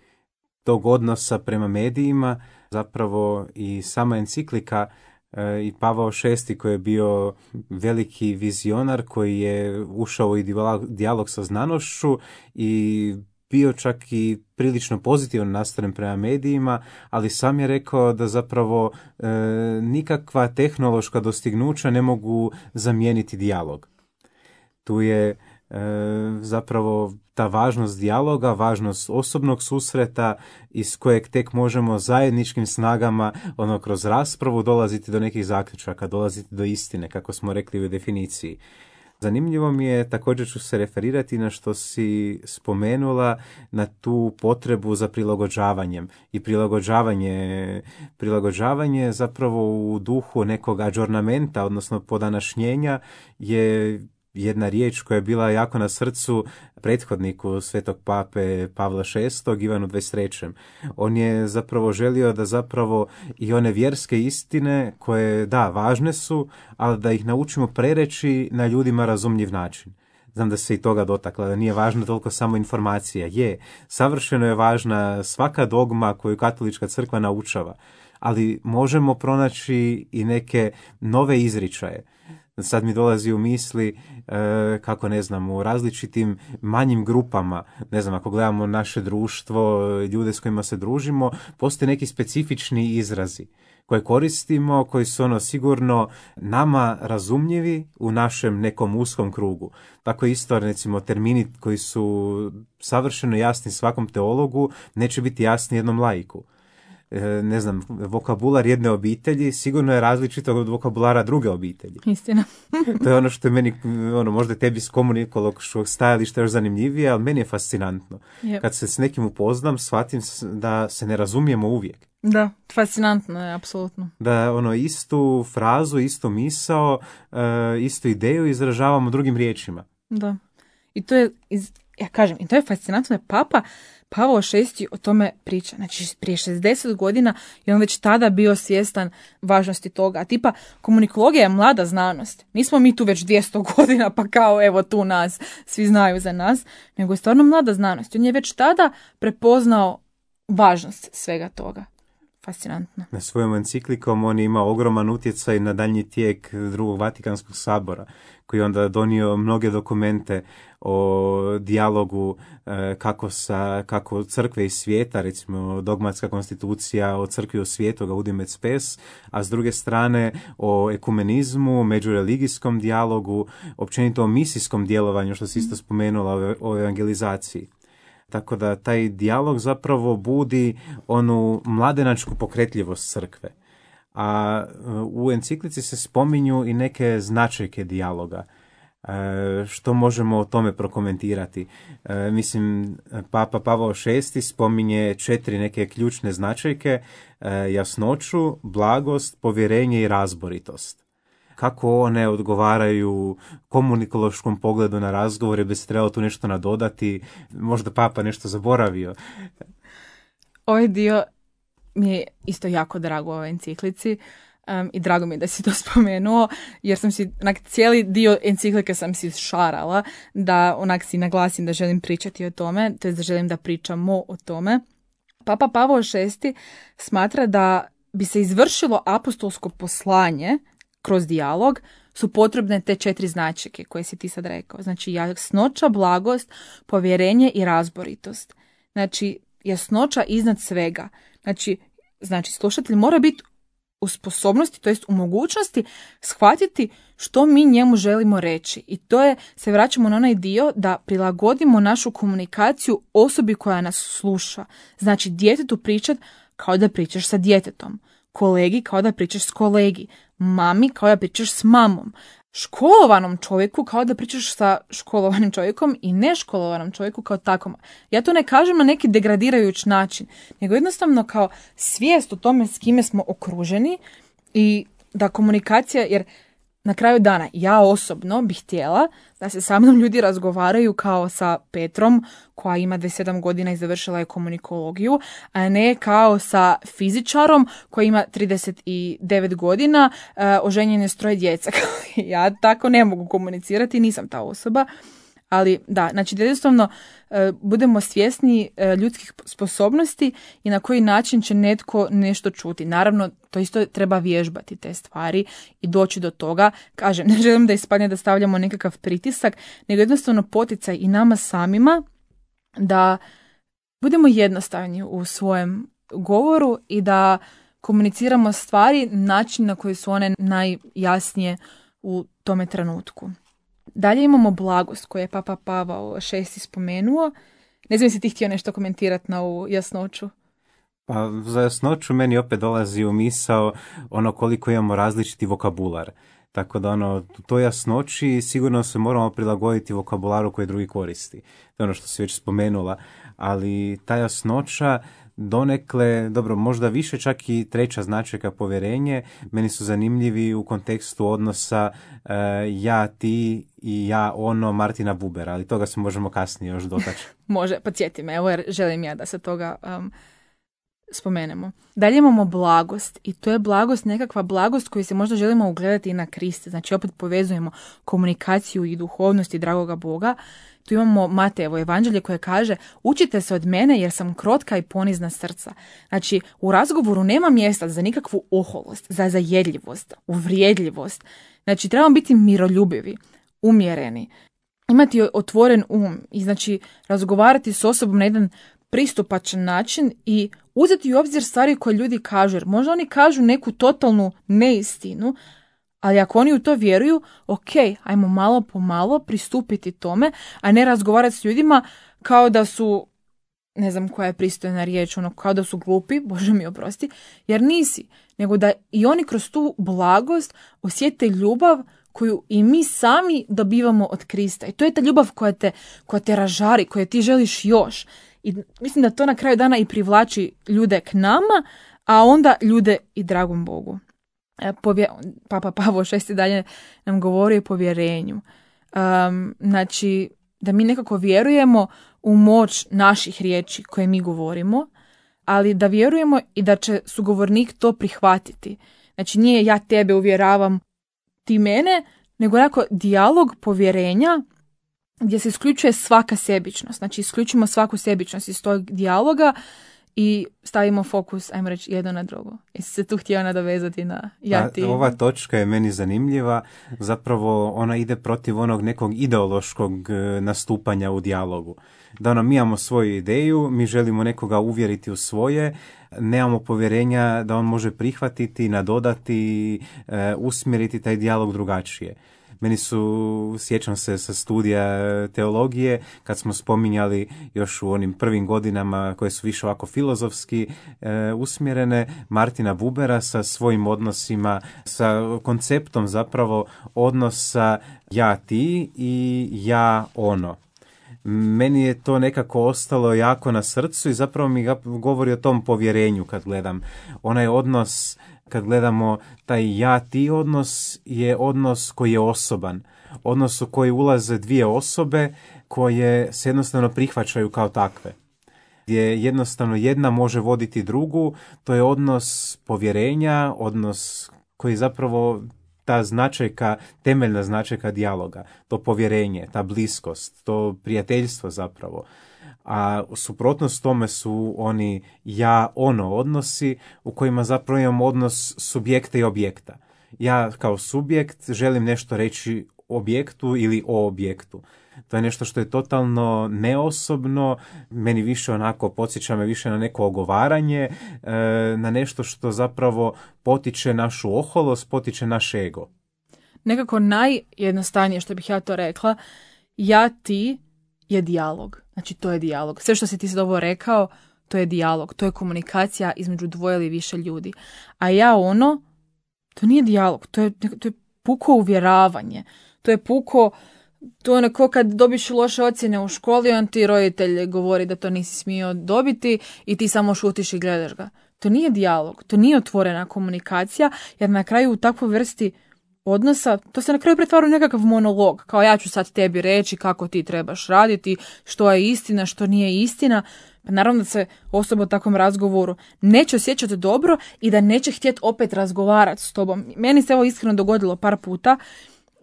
tog odnosa prema medijima, zapravo i sama enciklika e, i Pavao šesti koji je bio veliki vizionar, koji je ušao i dijalog sa znanošću i bio čak i prilično pozitivan nastaven prema medijima, ali sam je rekao da zapravo e, nikakva tehnološka dostignuća ne mogu zamijeniti dijalog. Tu je zapravo ta važnost dijaloga, važnost osobnog susreta iz kojeg tek možemo zajedničkim snagama, ono, kroz raspravu dolaziti do nekih zaključaka, dolaziti do istine, kako smo rekli u definiciji. Zanimljivo mi je, također ću se referirati na što si spomenula, na tu potrebu za prilagođavanjem. I prilagođavanje, prilagođavanje zapravo u duhu nekog adžornamenta, odnosno podanašnjenja, je jedna riječ koja je bila jako na srcu prethodniku svetog pape Pavla šestog, Ivanu dvadeset trećem. On je zapravo želio da zapravo i one vjerske istine koje, da, važne su, ali da ih naučimo prereći na ljudima razumljiv način. Znam da se i toga dotakla, da nije važna toliko samo informacija. Je, savršeno je važna svaka dogma koju katolička crkva naučava, ali možemo pronaći i neke nove izričaje. Sad mi dolazi u misli e, kako, ne znam, u različitim manjim grupama, ne znam, ako gledamo naše društvo, ljude s kojima se družimo, postoje neki specifični izrazi koje koristimo, koji su ono sigurno nama razumljivi u našem nekom uskom krugu. Tako isto, recimo, termini koji su savršeno jasni svakom teologu neće biti jasni jednom laiku. Ne znam, vokabular jedne obitelji sigurno je različito od vokabulara druge obitelji. Istina. To je ono što je meni, ono, možda tebi s komunikološkog stajališta još zanimljivije, ali meni je fascinantno. Yep. Kad se s nekim upoznam, shvatim da se ne razumijemo uvijek. Da, fascinantno je, apsolutno. Da, ono, istu frazu, istu misao, uh, istu ideju izražavamo drugim riječima. Da. I to je, iz, ja kažem, i to je fascinantno, je papa Pavao šesti o tome priča. Znači, prije šezdeset godina je on već tada bio svjestan važnosti toga. A tipa, komunikologija je mlada znanost. Nismo mi tu već dvjesto godina, pa kao evo tu nas, svi znaju za nas. Nego je stvarno mlada znanost. On je već tada prepoznao važnost svega toga. Fascinantno. Na svojom enciklikom on ima ogroman utjecaj na daljnji tijek drugog Vatikanskog sabora, koji je onda donio mnoge dokumente o dijalogu e, kako, sa, kako crkve i svijeta, recimo dogmatska konstitucija o crkvi u svijetu, Gaudium et Spes, a s druge strane o ekumenizmu, međureligijskom dijalogu, općenito o misijskom djelovanju, što si isto spomenula o evangelizaciji. Tako da taj dijalog zapravo budi onu mladenačku pokretljivost crkve. A u enciklici se spominju i neke značajke dijaloga. E, što možemo o tome prokomentirati? E, mislim, Papa Pavao šesti spominje četiri neke ključne značajke, e, jasnoću, blagost, povjerenje i razboritost. Kako one odgovaraju komunikološkom pogledu na razgovore, bi se trebalo tu nešto nadodati, možda Papa nešto zaboravio. Ovaj dio mi je isto jako drago u ovoj enciklici um, i drago mi je da si to spomenuo, jer sam si, onak, cijeli dio enciklike sam si šarala da onak si naglasim da želim pričati o tome, to je da želim da pričamo o tome. Papa Pavao šesti smatra da bi se izvršilo apostolsko poslanje kroz dijalog, su potrebne te četiri značajke koje si ti sad rekao. Znači, jasnoća, blagost, povjerenje i razboritost. Znači, jasnoća iznad svega. Znači, znači slušatelj mora biti u sposobnosti, to jest u mogućnosti shvatiti što mi njemu želimo reći. I to je, se vraćamo na onaj dio da prilagodimo našu komunikaciju osobi koja nas sluša. Znači, djetetu pričat kao da pričaš sa djetetom. Kolegi kao da pričaš s kolegi, mami kao da pričaš s mamom, školovanom čovjeku kao da pričaš sa školovanim čovjekom i neškolovanom čovjeku kao takom. Ja to ne kažem na neki degradirajući način, nego jednostavno kao svijest o tome s kime smo okruženi i da komunikacija, jer na kraju dana ja osobno bih htjela da se sa mnom ljudi razgovaraju kao sa Petrom koja ima dvadeset sedam godina i završila je komunikologiju, a ne kao sa fizičarom koji ima trideset devet godina, uh, oženjen je s troje djeca. Ja tako ne mogu komunicirati, nisam ta osoba. Ali da, znači da jednostavno uh, budemo svjesni uh, ljudskih sposobnosti i na koji način će netko nešto čuti. Naravno, to isto treba vježbati te stvari i doći do toga. Kažem, ne želim da ispadne da stavljamo nekakav pritisak, nego jednostavno poticaj i nama samima da budemo jednostavni u svojem govoru i da komuniciramo stvari na način na koji su one najjasnije u tome trenutku. Dalje imamo blagost koju je Papa Pavao šesti spomenuo. Ne znam si ti htio nešto komentirati na ovu jasnoću. Pa za jasnoću meni opet dolazi u misao ono koliko imamo različiti vokabular. Tako da ono, u toj jasnoći sigurno se moramo prilagoditi vokabularu koji drugi koristi. To je ono što si već spomenula. Ali ta jasnoća donekle, dobro, možda više čak i treća značajka povjerenje, meni su zanimljivi u kontekstu odnosa uh, ja, ti i ja, ono, Martina Bubera, ali toga se možemo kasnije još dotaći. Može, podsjeti me, evo jer želim ja da se toga um, spomenemo. Dalje imamo blagost i to je blagost, nekakva blagost koju se možda želimo ugledati i na Kriste. Znači opet povezujemo komunikaciju i duhovnost i dragoga Boga. Tu imamo Matejevo evanđelje koje kaže učite se od mene jer sam krotka i ponizna srca. Znači u razgovoru nema mjesta za nikakvu oholost, za zajedljivost, uvrijedljivost. Znači trebamo biti miroljubivi, umjereni, imati otvoren um i znači razgovarati s osobom na jedan pristupačan način i uzeti u obzir stvari koje ljudi kažu. Jer možda oni kažu neku totalnu neistinu, ali ako oni u to vjeruju, ok, ajmo malo po malo pristupiti tome, a ne razgovarati s ljudima kao da su, ne znam koja je pristojna riječ, ono, kao da su glupi, Bože mi oprosti, jer nisi. Nego da i oni kroz tu blagost osjete ljubav koju i mi sami dobivamo od Krista. I to je ta ljubav koja te, koja te ražari, koja ti želiš još. I mislim da to na kraju dana i privlači ljude k nama, a onda ljude i dragom Bogu. Povje... Papa Pavao šesti dalje nam govori o povjerenju. Um, znači, da mi nekako vjerujemo u moć naših riječi koje mi govorimo, ali da vjerujemo i da će sugovornik to prihvatiti. Znači nije ja tebe uvjeravam, ti mene, nego onako dijalog povjerenja gdje se isključuje svaka sebičnost. Znači isključimo svaku sebičnost iz tog dijaloga i stavimo fokus, ajmo reći, jedno na drugo. Jesi se tu htio nadovezati na ja ti? Ova točka je meni zanimljiva. Zapravo ona ide protiv onog nekog ideološkog nastupanja u dijalogu. Da nam mi imamo svoju ideju, mi želimo nekoga uvjeriti u svoje, nemamo povjerenja da on može prihvatiti, nadodati, usmjeriti taj dijalog drugačije. Meni su, sjećam se sa studija teologije, kad smo spominjali još u onim prvim godinama koje su više ovako filozofski e, usmjerene, Martina Bubera sa svojim odnosima, sa konceptom zapravo odnosa ja ti i ja ono. Meni je to nekako ostalo jako na srcu i zapravo mi govori o tom povjerenju kad gledam. Onaj odnos, kad gledamo taj ja-ti odnos, je odnos koji je osoban. Odnos u koji ulaze dvije osobe koje se jednostavno prihvaćaju kao takve. Gdje jednostavno jedna može voditi drugu, to je odnos povjerenja, odnos koji zapravo ta značajka, temeljna značajka dijaloga, to povjerenje, ta bliskost, to prijateljstvo zapravo. A suprotnost tome su oni ja-ono odnosi u kojima zapravo imamo odnos subjekta i objekta. Ja kao subjekt želim nešto reći objektu ili o objektu. To je nešto što je totalno neosobno, meni više onako podsjeća me više na neko ogovaranje, na nešto što zapravo potiče našu oholost, potiče naš ego. Nekako najjednostavnije što bih ja to rekla, ja ti je dijalog. Znači to je dijalog. Sve što si ti sad ovo rekao, to je dijalog, to je komunikacija između dvoje ili više ljudi. A ja ono, to nije dijalog, to je, to je puko uvjeravanje, to je puko. To je onako kad dobiš loše ocjene u školi, on ti roditelj govori da to nisi smio dobiti i ti samo šutiš i gledaš ga. To nije dijalog, to nije otvorena komunikacija, jer na kraju u takvoj vrsti odnosa, to se na kraju pretvara u nekakav monolog, kao ja ću sad tebi reći kako ti trebaš raditi, što je istina, što nije istina. Pa naravno da se osoba u takvom razgovoru neće osjećati dobro i da neće htjeti opet razgovarati s tobom. Meni se ovo iskreno dogodilo par puta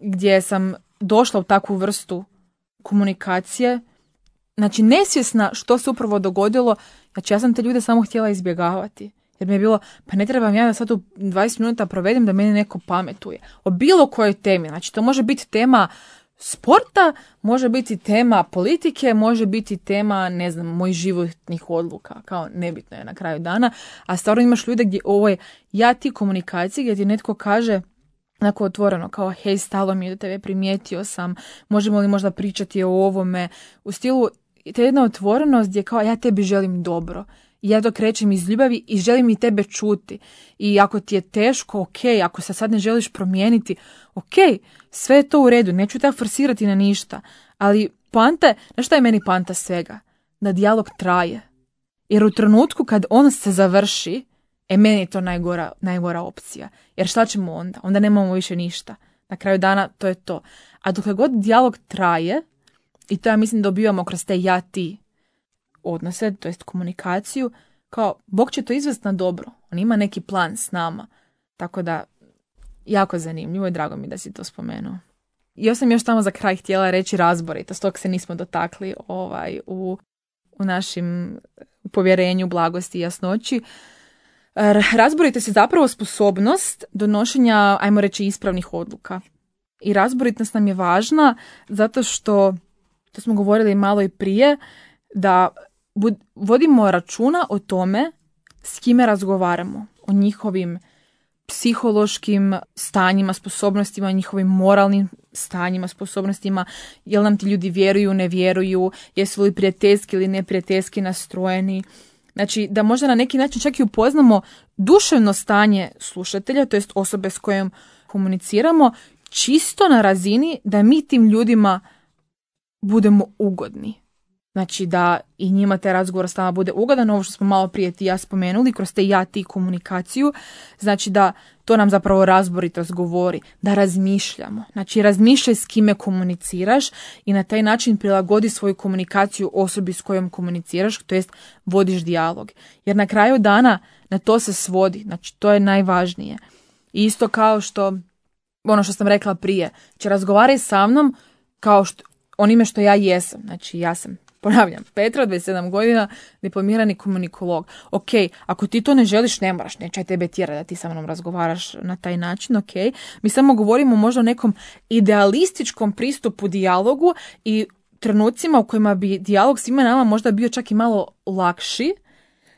gdje sam došla u takvu vrstu komunikacije, znači nesvjesna što se upravo dogodilo, znači ja sam te ljude samo htjela izbjegavati, jer mi je bilo, pa ne trebam ja da sad u dvadeset minuta provedem da meni neko pametuje. O bilo kojoj temi, znači to može biti tema sporta, može biti tema politike, može biti tema, ne znam, mojih životnih odluka, kao nebitno je na kraju dana, a stvarno imaš ljude gdje ovo je ja ti komunikacije, gdje ti netko kaže onako otvoreno, kao hej, stalo mi je do tebe, primijetio sam, možemo li možda pričati o ovome, u stilu, to je jedna otvorenost gdje kao ja tebi želim dobro, i ja to krećem iz ljubavi i želim i tebe čuti, i ako ti je teško, ok, ako se sad ne želiš promijeniti, ok, sve je to u redu, neću te forsirati na ništa, ali poanta je, znaš šta je meni poanta svega? Da dijalog traje, jer u trenutku kad on se završi, E, meni je to najgora, najgora opcija. Jer šta ćemo onda? Onda nemamo više ništa. Na kraju dana to je to. A dok god dijalog traje, i to ja mislim dobivamo kroz te ja-ti odnose, to jest komunikaciju, kao Bog će to izvesti na dobro. On ima neki plan s nama. Tako da, jako zanimljivo i drago mi da si to spomenuo. I ja sam još tamo za kraj htjela reći razboritost, tog se nismo dotakli ovaj, u, u našim povjerenju, blagosti i jasnoći. Razboritost je zapravo sposobnost donošenja, ajmo reći, ispravnih odluka. I razboritost nam je važna zato što, to smo govorili malo i prije, da bud, vodimo računa o tome s kime razgovaramo, o njihovim psihološkim stanjima, sposobnostima, njihovim moralnim stanjima, sposobnostima, jel nam ti ljudi vjeruju, ne vjeruju, jesu li prijateljski ili neprijateljski nastrojeni. Znači, da možda na neki način čak i upoznamo duševno stanje slušatelja, to jest osobe s kojom komuniciramo, čisto na razini da mi tim ljudima budemo ugodni. Znači da i njima taj razgovor s nama bude ugodan, ovo što smo malo prije ti ja spomenuli, kroz te ja ti komunikaciju, znači da to nam zapravo razboritost govori, da razmišljamo. Znači razmišljaj s kime komuniciraš i na taj način prilagodi svoju komunikaciju osobi s kojom komuniciraš, to jest vodiš dijalog. Jer na kraju dana na to se svodi, znači to je najvažnije. I isto kao što, ono što sam rekla prije, će razgovaraj sa mnom kao što, onime što ja jesam, znači ja sam ponavljam, Petra, dvadeset sedam godina, diplomirani komunikolog. Ok, ako ti to ne želiš, ne moraš, neće tebe tjera da ti sa mnom razgovaraš na taj način, ok. Mi samo govorimo možda o nekom idealističkom pristupu dijalogu i trenucima u kojima bi dijalog svima nama možda bio čak i malo lakši,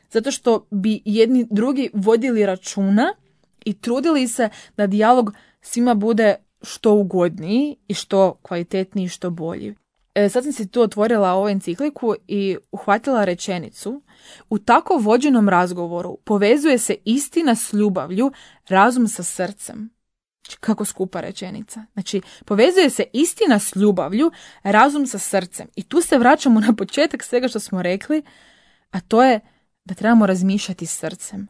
zato što bi jedni drugi vodili računa i trudili se da dijalog svima bude što ugodniji i što kvalitetniji i što bolji. E, sad sam si tu otvorila ovu encikliku i uhvatila rečenicu: u tako vođenom razgovoru povezuje se istina s ljubavlju, razum sa srcem. Kako skupa rečenica. Znači, povezuje se istina s ljubavlju, razum sa srcem. I tu se vraćamo na početak svega što smo rekli, a to je da trebamo razmišljati srcem.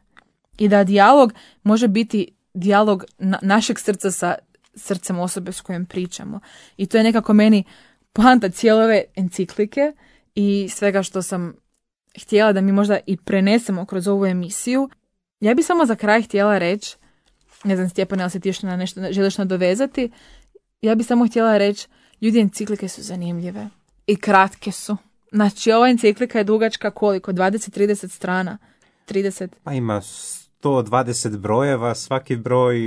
I da dijalog može biti dijalog na- našeg srca sa srcem osobe s kojom pričamo. I to je nekako meni poanta cijele ove enciklike i svega što sam htjela da mi možda i prenesemo kroz ovu emisiju. Ja bi samo za kraj htjela reći, ne znam Stjepan, ali se ti još na nešto želiš nadovezati, ja bi samo htjela reći, ljudi, enciklike su zanimljive i kratke su. Znači, ova enciklika je dugačka koliko? dvadeset do trideset strana? trideset? Pa ima sto dvadeset brojeva, svaki broj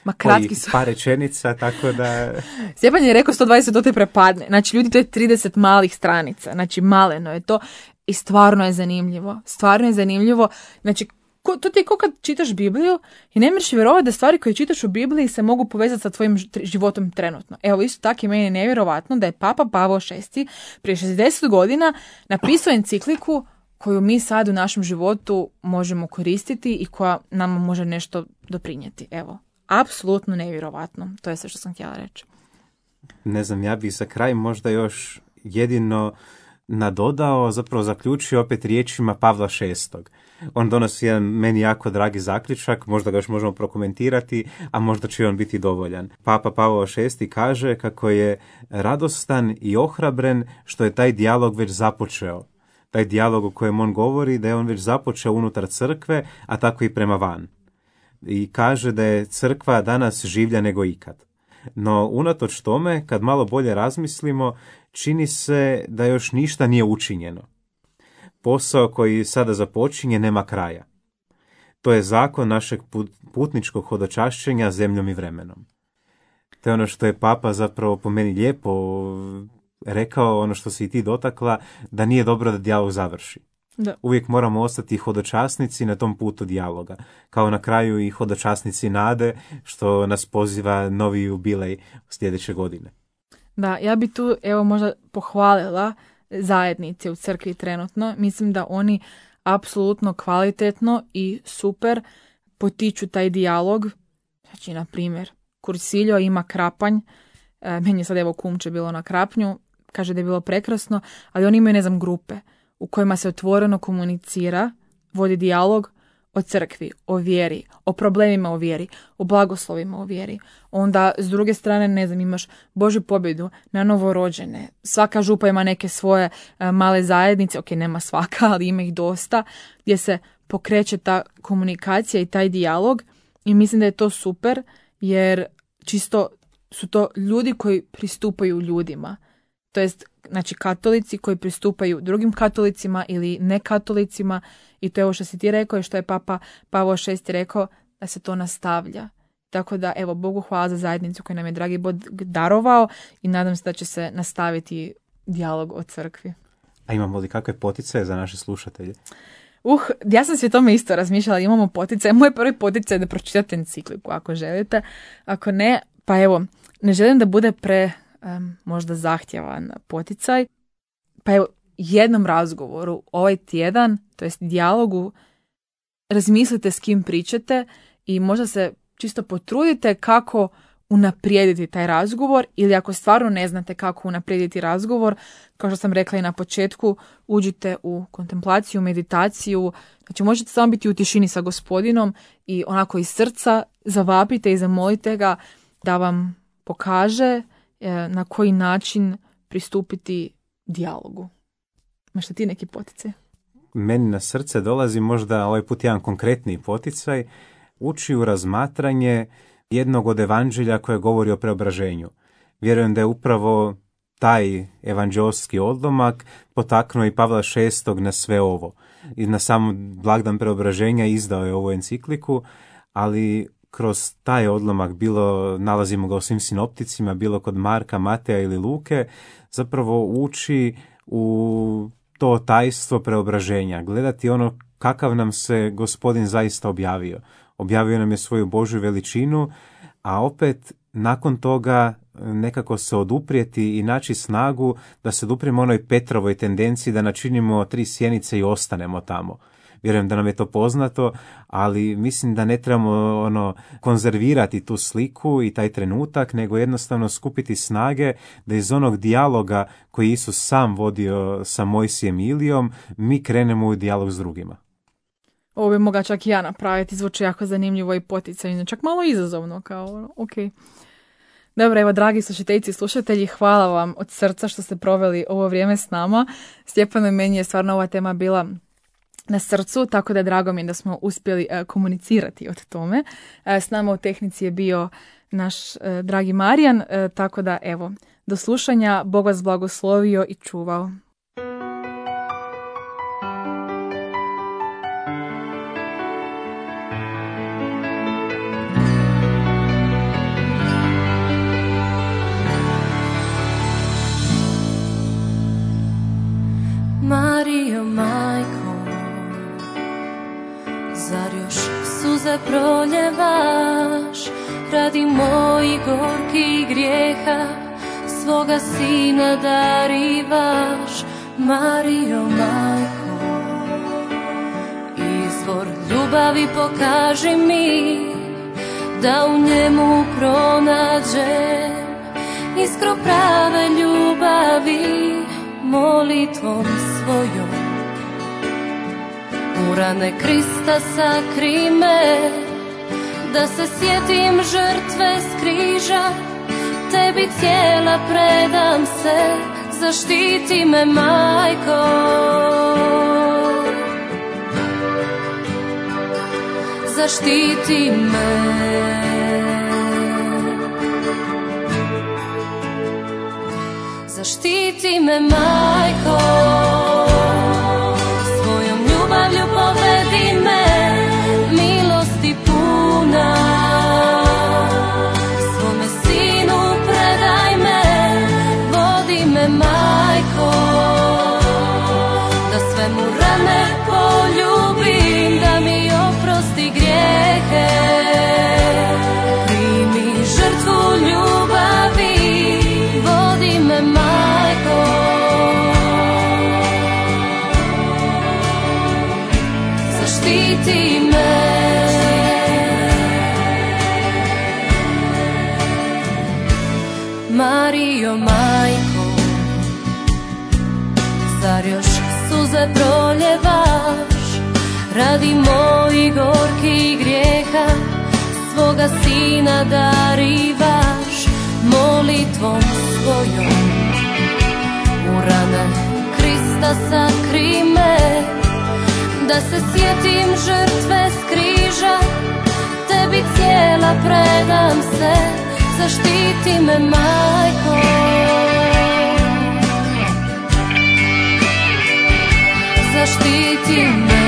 Ma kratki su. par rečenica, tako da... Stjepan je rekao sto dvadeset, to te prepadne. Znači, ljudi, to je trideset malih stranica. Znači, maleno je to i stvarno je zanimljivo. Stvarno je zanimljivo. Znači, ko, to ti je kao kad čitaš Bibliju i ne možeš vjerovati da stvari koje čitaš u Bibliji se mogu povezati sa tvojim životom trenutno. Evo, isto tako je meni nevjerovatno da je Papa Pavao šesti prije šezdeset godina napisao encikliku koju mi sad u našem životu možemo koristiti i koja nam može nešto doprinijeti. Evo, apsolutno nevjerovatno. To je sve što sam htjela reći. Ne znam, ja bih za kraj možda još jedino nadodao, zapravo zaključio opet riječima Pavla šestog. On donosi jedan meni jako dragi zaključak, možda ga još možemo prokomentirati, a možda će on biti dovoljan. Papa Pavao šesti kaže kako je radostan i ohrabren što je taj dijalog već započeo. Taj dijalog o kojem on govori, da je on već započeo unutar crkve, a tako i prema van. I kaže da je crkva danas življa nego ikad. No, unatoč tome, kad malo bolje razmislimo, čini se da još ništa nije učinjeno. Posao koji sada započinje nema kraja. To je zakon našeg putničkog hodočašćenja zemljom i vremenom. To je ono što je Papa zapravo po meni lijepo rekao, ono što si i ti dotakla, da nije dobro da dijalog završi. Da. Uvijek moramo ostati hodočasnici na tom putu dijaloga. Kao na kraju i hodočasnici nade, što nas poziva novi jubilej sljedeće godine. Da, ja bi tu evo možda pohvalila zajednice u crkvi trenutno. Mislim da oni apsolutno kvalitetno i super potiču taj dijalog. Znači, na primjer, Kursiljo ima Krapanj. E, meni je sad evo kumče bilo na Krapnju. Kaže da je bilo prekrasno, ali oni imaju, ne znam, grupe u kojima se otvoreno komunicira, vodi dijalog o crkvi, o vjeri, o problemima o vjeri, o blagoslovima o vjeri. Onda, s druge strane, ne znam, imaš Božju pobjedu na novorođene. Svaka župa ima neke svoje uh, male zajednice, ok, nema svaka, ali ima ih dosta, gdje se pokreće ta komunikacija i taj dijalog. I mislim da je to super, jer čisto su to ljudi koji pristupaju ljudima. To jest, znači, katolici koji pristupaju drugim katolicima ili nekatolicima, i to je ovo što si ti rekao i što je Papa Pavao šesti rekao, da se to nastavlja. Tako da, evo, Bogu hvala za zajednicu koju nam je dragi Bog darovao i nadam se da će se nastaviti dijalog o crkvi. A imamo li kakve poticaje za naše slušatelje? Uh, ja sam sve tome isto razmišljala, imamo poticaje. Moj prvi poticaj je da pročitate encikliku ako želite. Ako ne, pa evo, ne želim da bude pre um, možda zahtjevan poticaj. Pa evo, jednom razgovoru ovaj tjedan, to jest dijalogu, razmislite s kim pričate i možda se čisto potrudite kako unaprijediti taj razgovor, ili ako stvarno ne znate kako unaprijediti razgovor, kao što sam rekla i na početku, uđite u kontemplaciju, meditaciju. Znači možete samo biti u tišini sa Gospodinom i onako iz srca zavapite i zamolite ga da vam pokaže na koji način pristupiti dijalogu. Imaš li ti neki poticaj? Meni na srce dolazi možda ovaj put jedan konkretni poticaj, ući u razmatranje jednog od evanđelja koje govori o preobraženju. Vjerujem da je upravo taj evanđelski odlomak potaknuo i Pavla šestog na sve ovo. I na sam blagdan preobraženja izdao je ovu encikliku, ali kroz taj odlomak, bilo nalazimo ga u svim sinopticima, bilo kod Marka, Mateja ili Luke, zapravo uči u to tajstvo preobraženja, gledati ono kakav nam se Gospodin zaista objavio. Objavio nam je svoju Božju veličinu, a opet nakon toga nekako se oduprijeti i naći snagu da se odupremo onoj Petrovoj tendenciji da načinimo tri sjenice i ostanemo tamo. Vjerujem da nam je to poznato, ali mislim da ne trebamo ono konzervirati tu sliku i taj trenutak, nego jednostavno skupiti snage da iz onog dijaloga koji Isus sam vodio sa Mojsijem i Ilijom, mi krenemo u dijalog s drugima. Ovo bi mogla čak i ja napraviti, zvuči jako zanimljivo i poticajno, čak malo izazovno, kao ok. Dobro, evo, dragi slušateljici i slušatelji, hvala vam od srca što ste proveli ovo vrijeme s nama. Stjepano i meni je stvarno ova tema bila na srcu, tako da drago mi je da smo uspjeli uh, komunicirati o tome. Uh, s nama u tehnici je bio naš uh, dragi Marijan, uh, tako da evo, do slušanja, Bog vas blagoslovio i čuvao. Marijo, majko, zar još suze proljevaš radi mojih gorkih grijeha, svoga sina darivaš? Marijo, majko, izvor ljubavi pokaži mi, da u njemu pronađem iskru prave ljubavi. Molitvom svojom u rane Krista sakri me, da se sjetim žrtve s križa, tebi cijela predam se, zaštiti me, majko. Zaštiti me. Zaštiti me, majko, svojom ljubavlju povedi me, milosti puna, svome sinu predaj me, vodi me, majko, da sve mu rane poljubim, da mi oprosti grijehe, primi žrtvu ljubavi, vodi me, majko, zaštiti me. Marijo, majko, zar još suze proljevaš radi mojih gorkih grijeha, svoga sina darivaš? Molitvom svojom u rane Krista sakri me, da se sjetim žrtve s križa, tebi cijela predam se, zaštiti me, majko. Zaštiti me.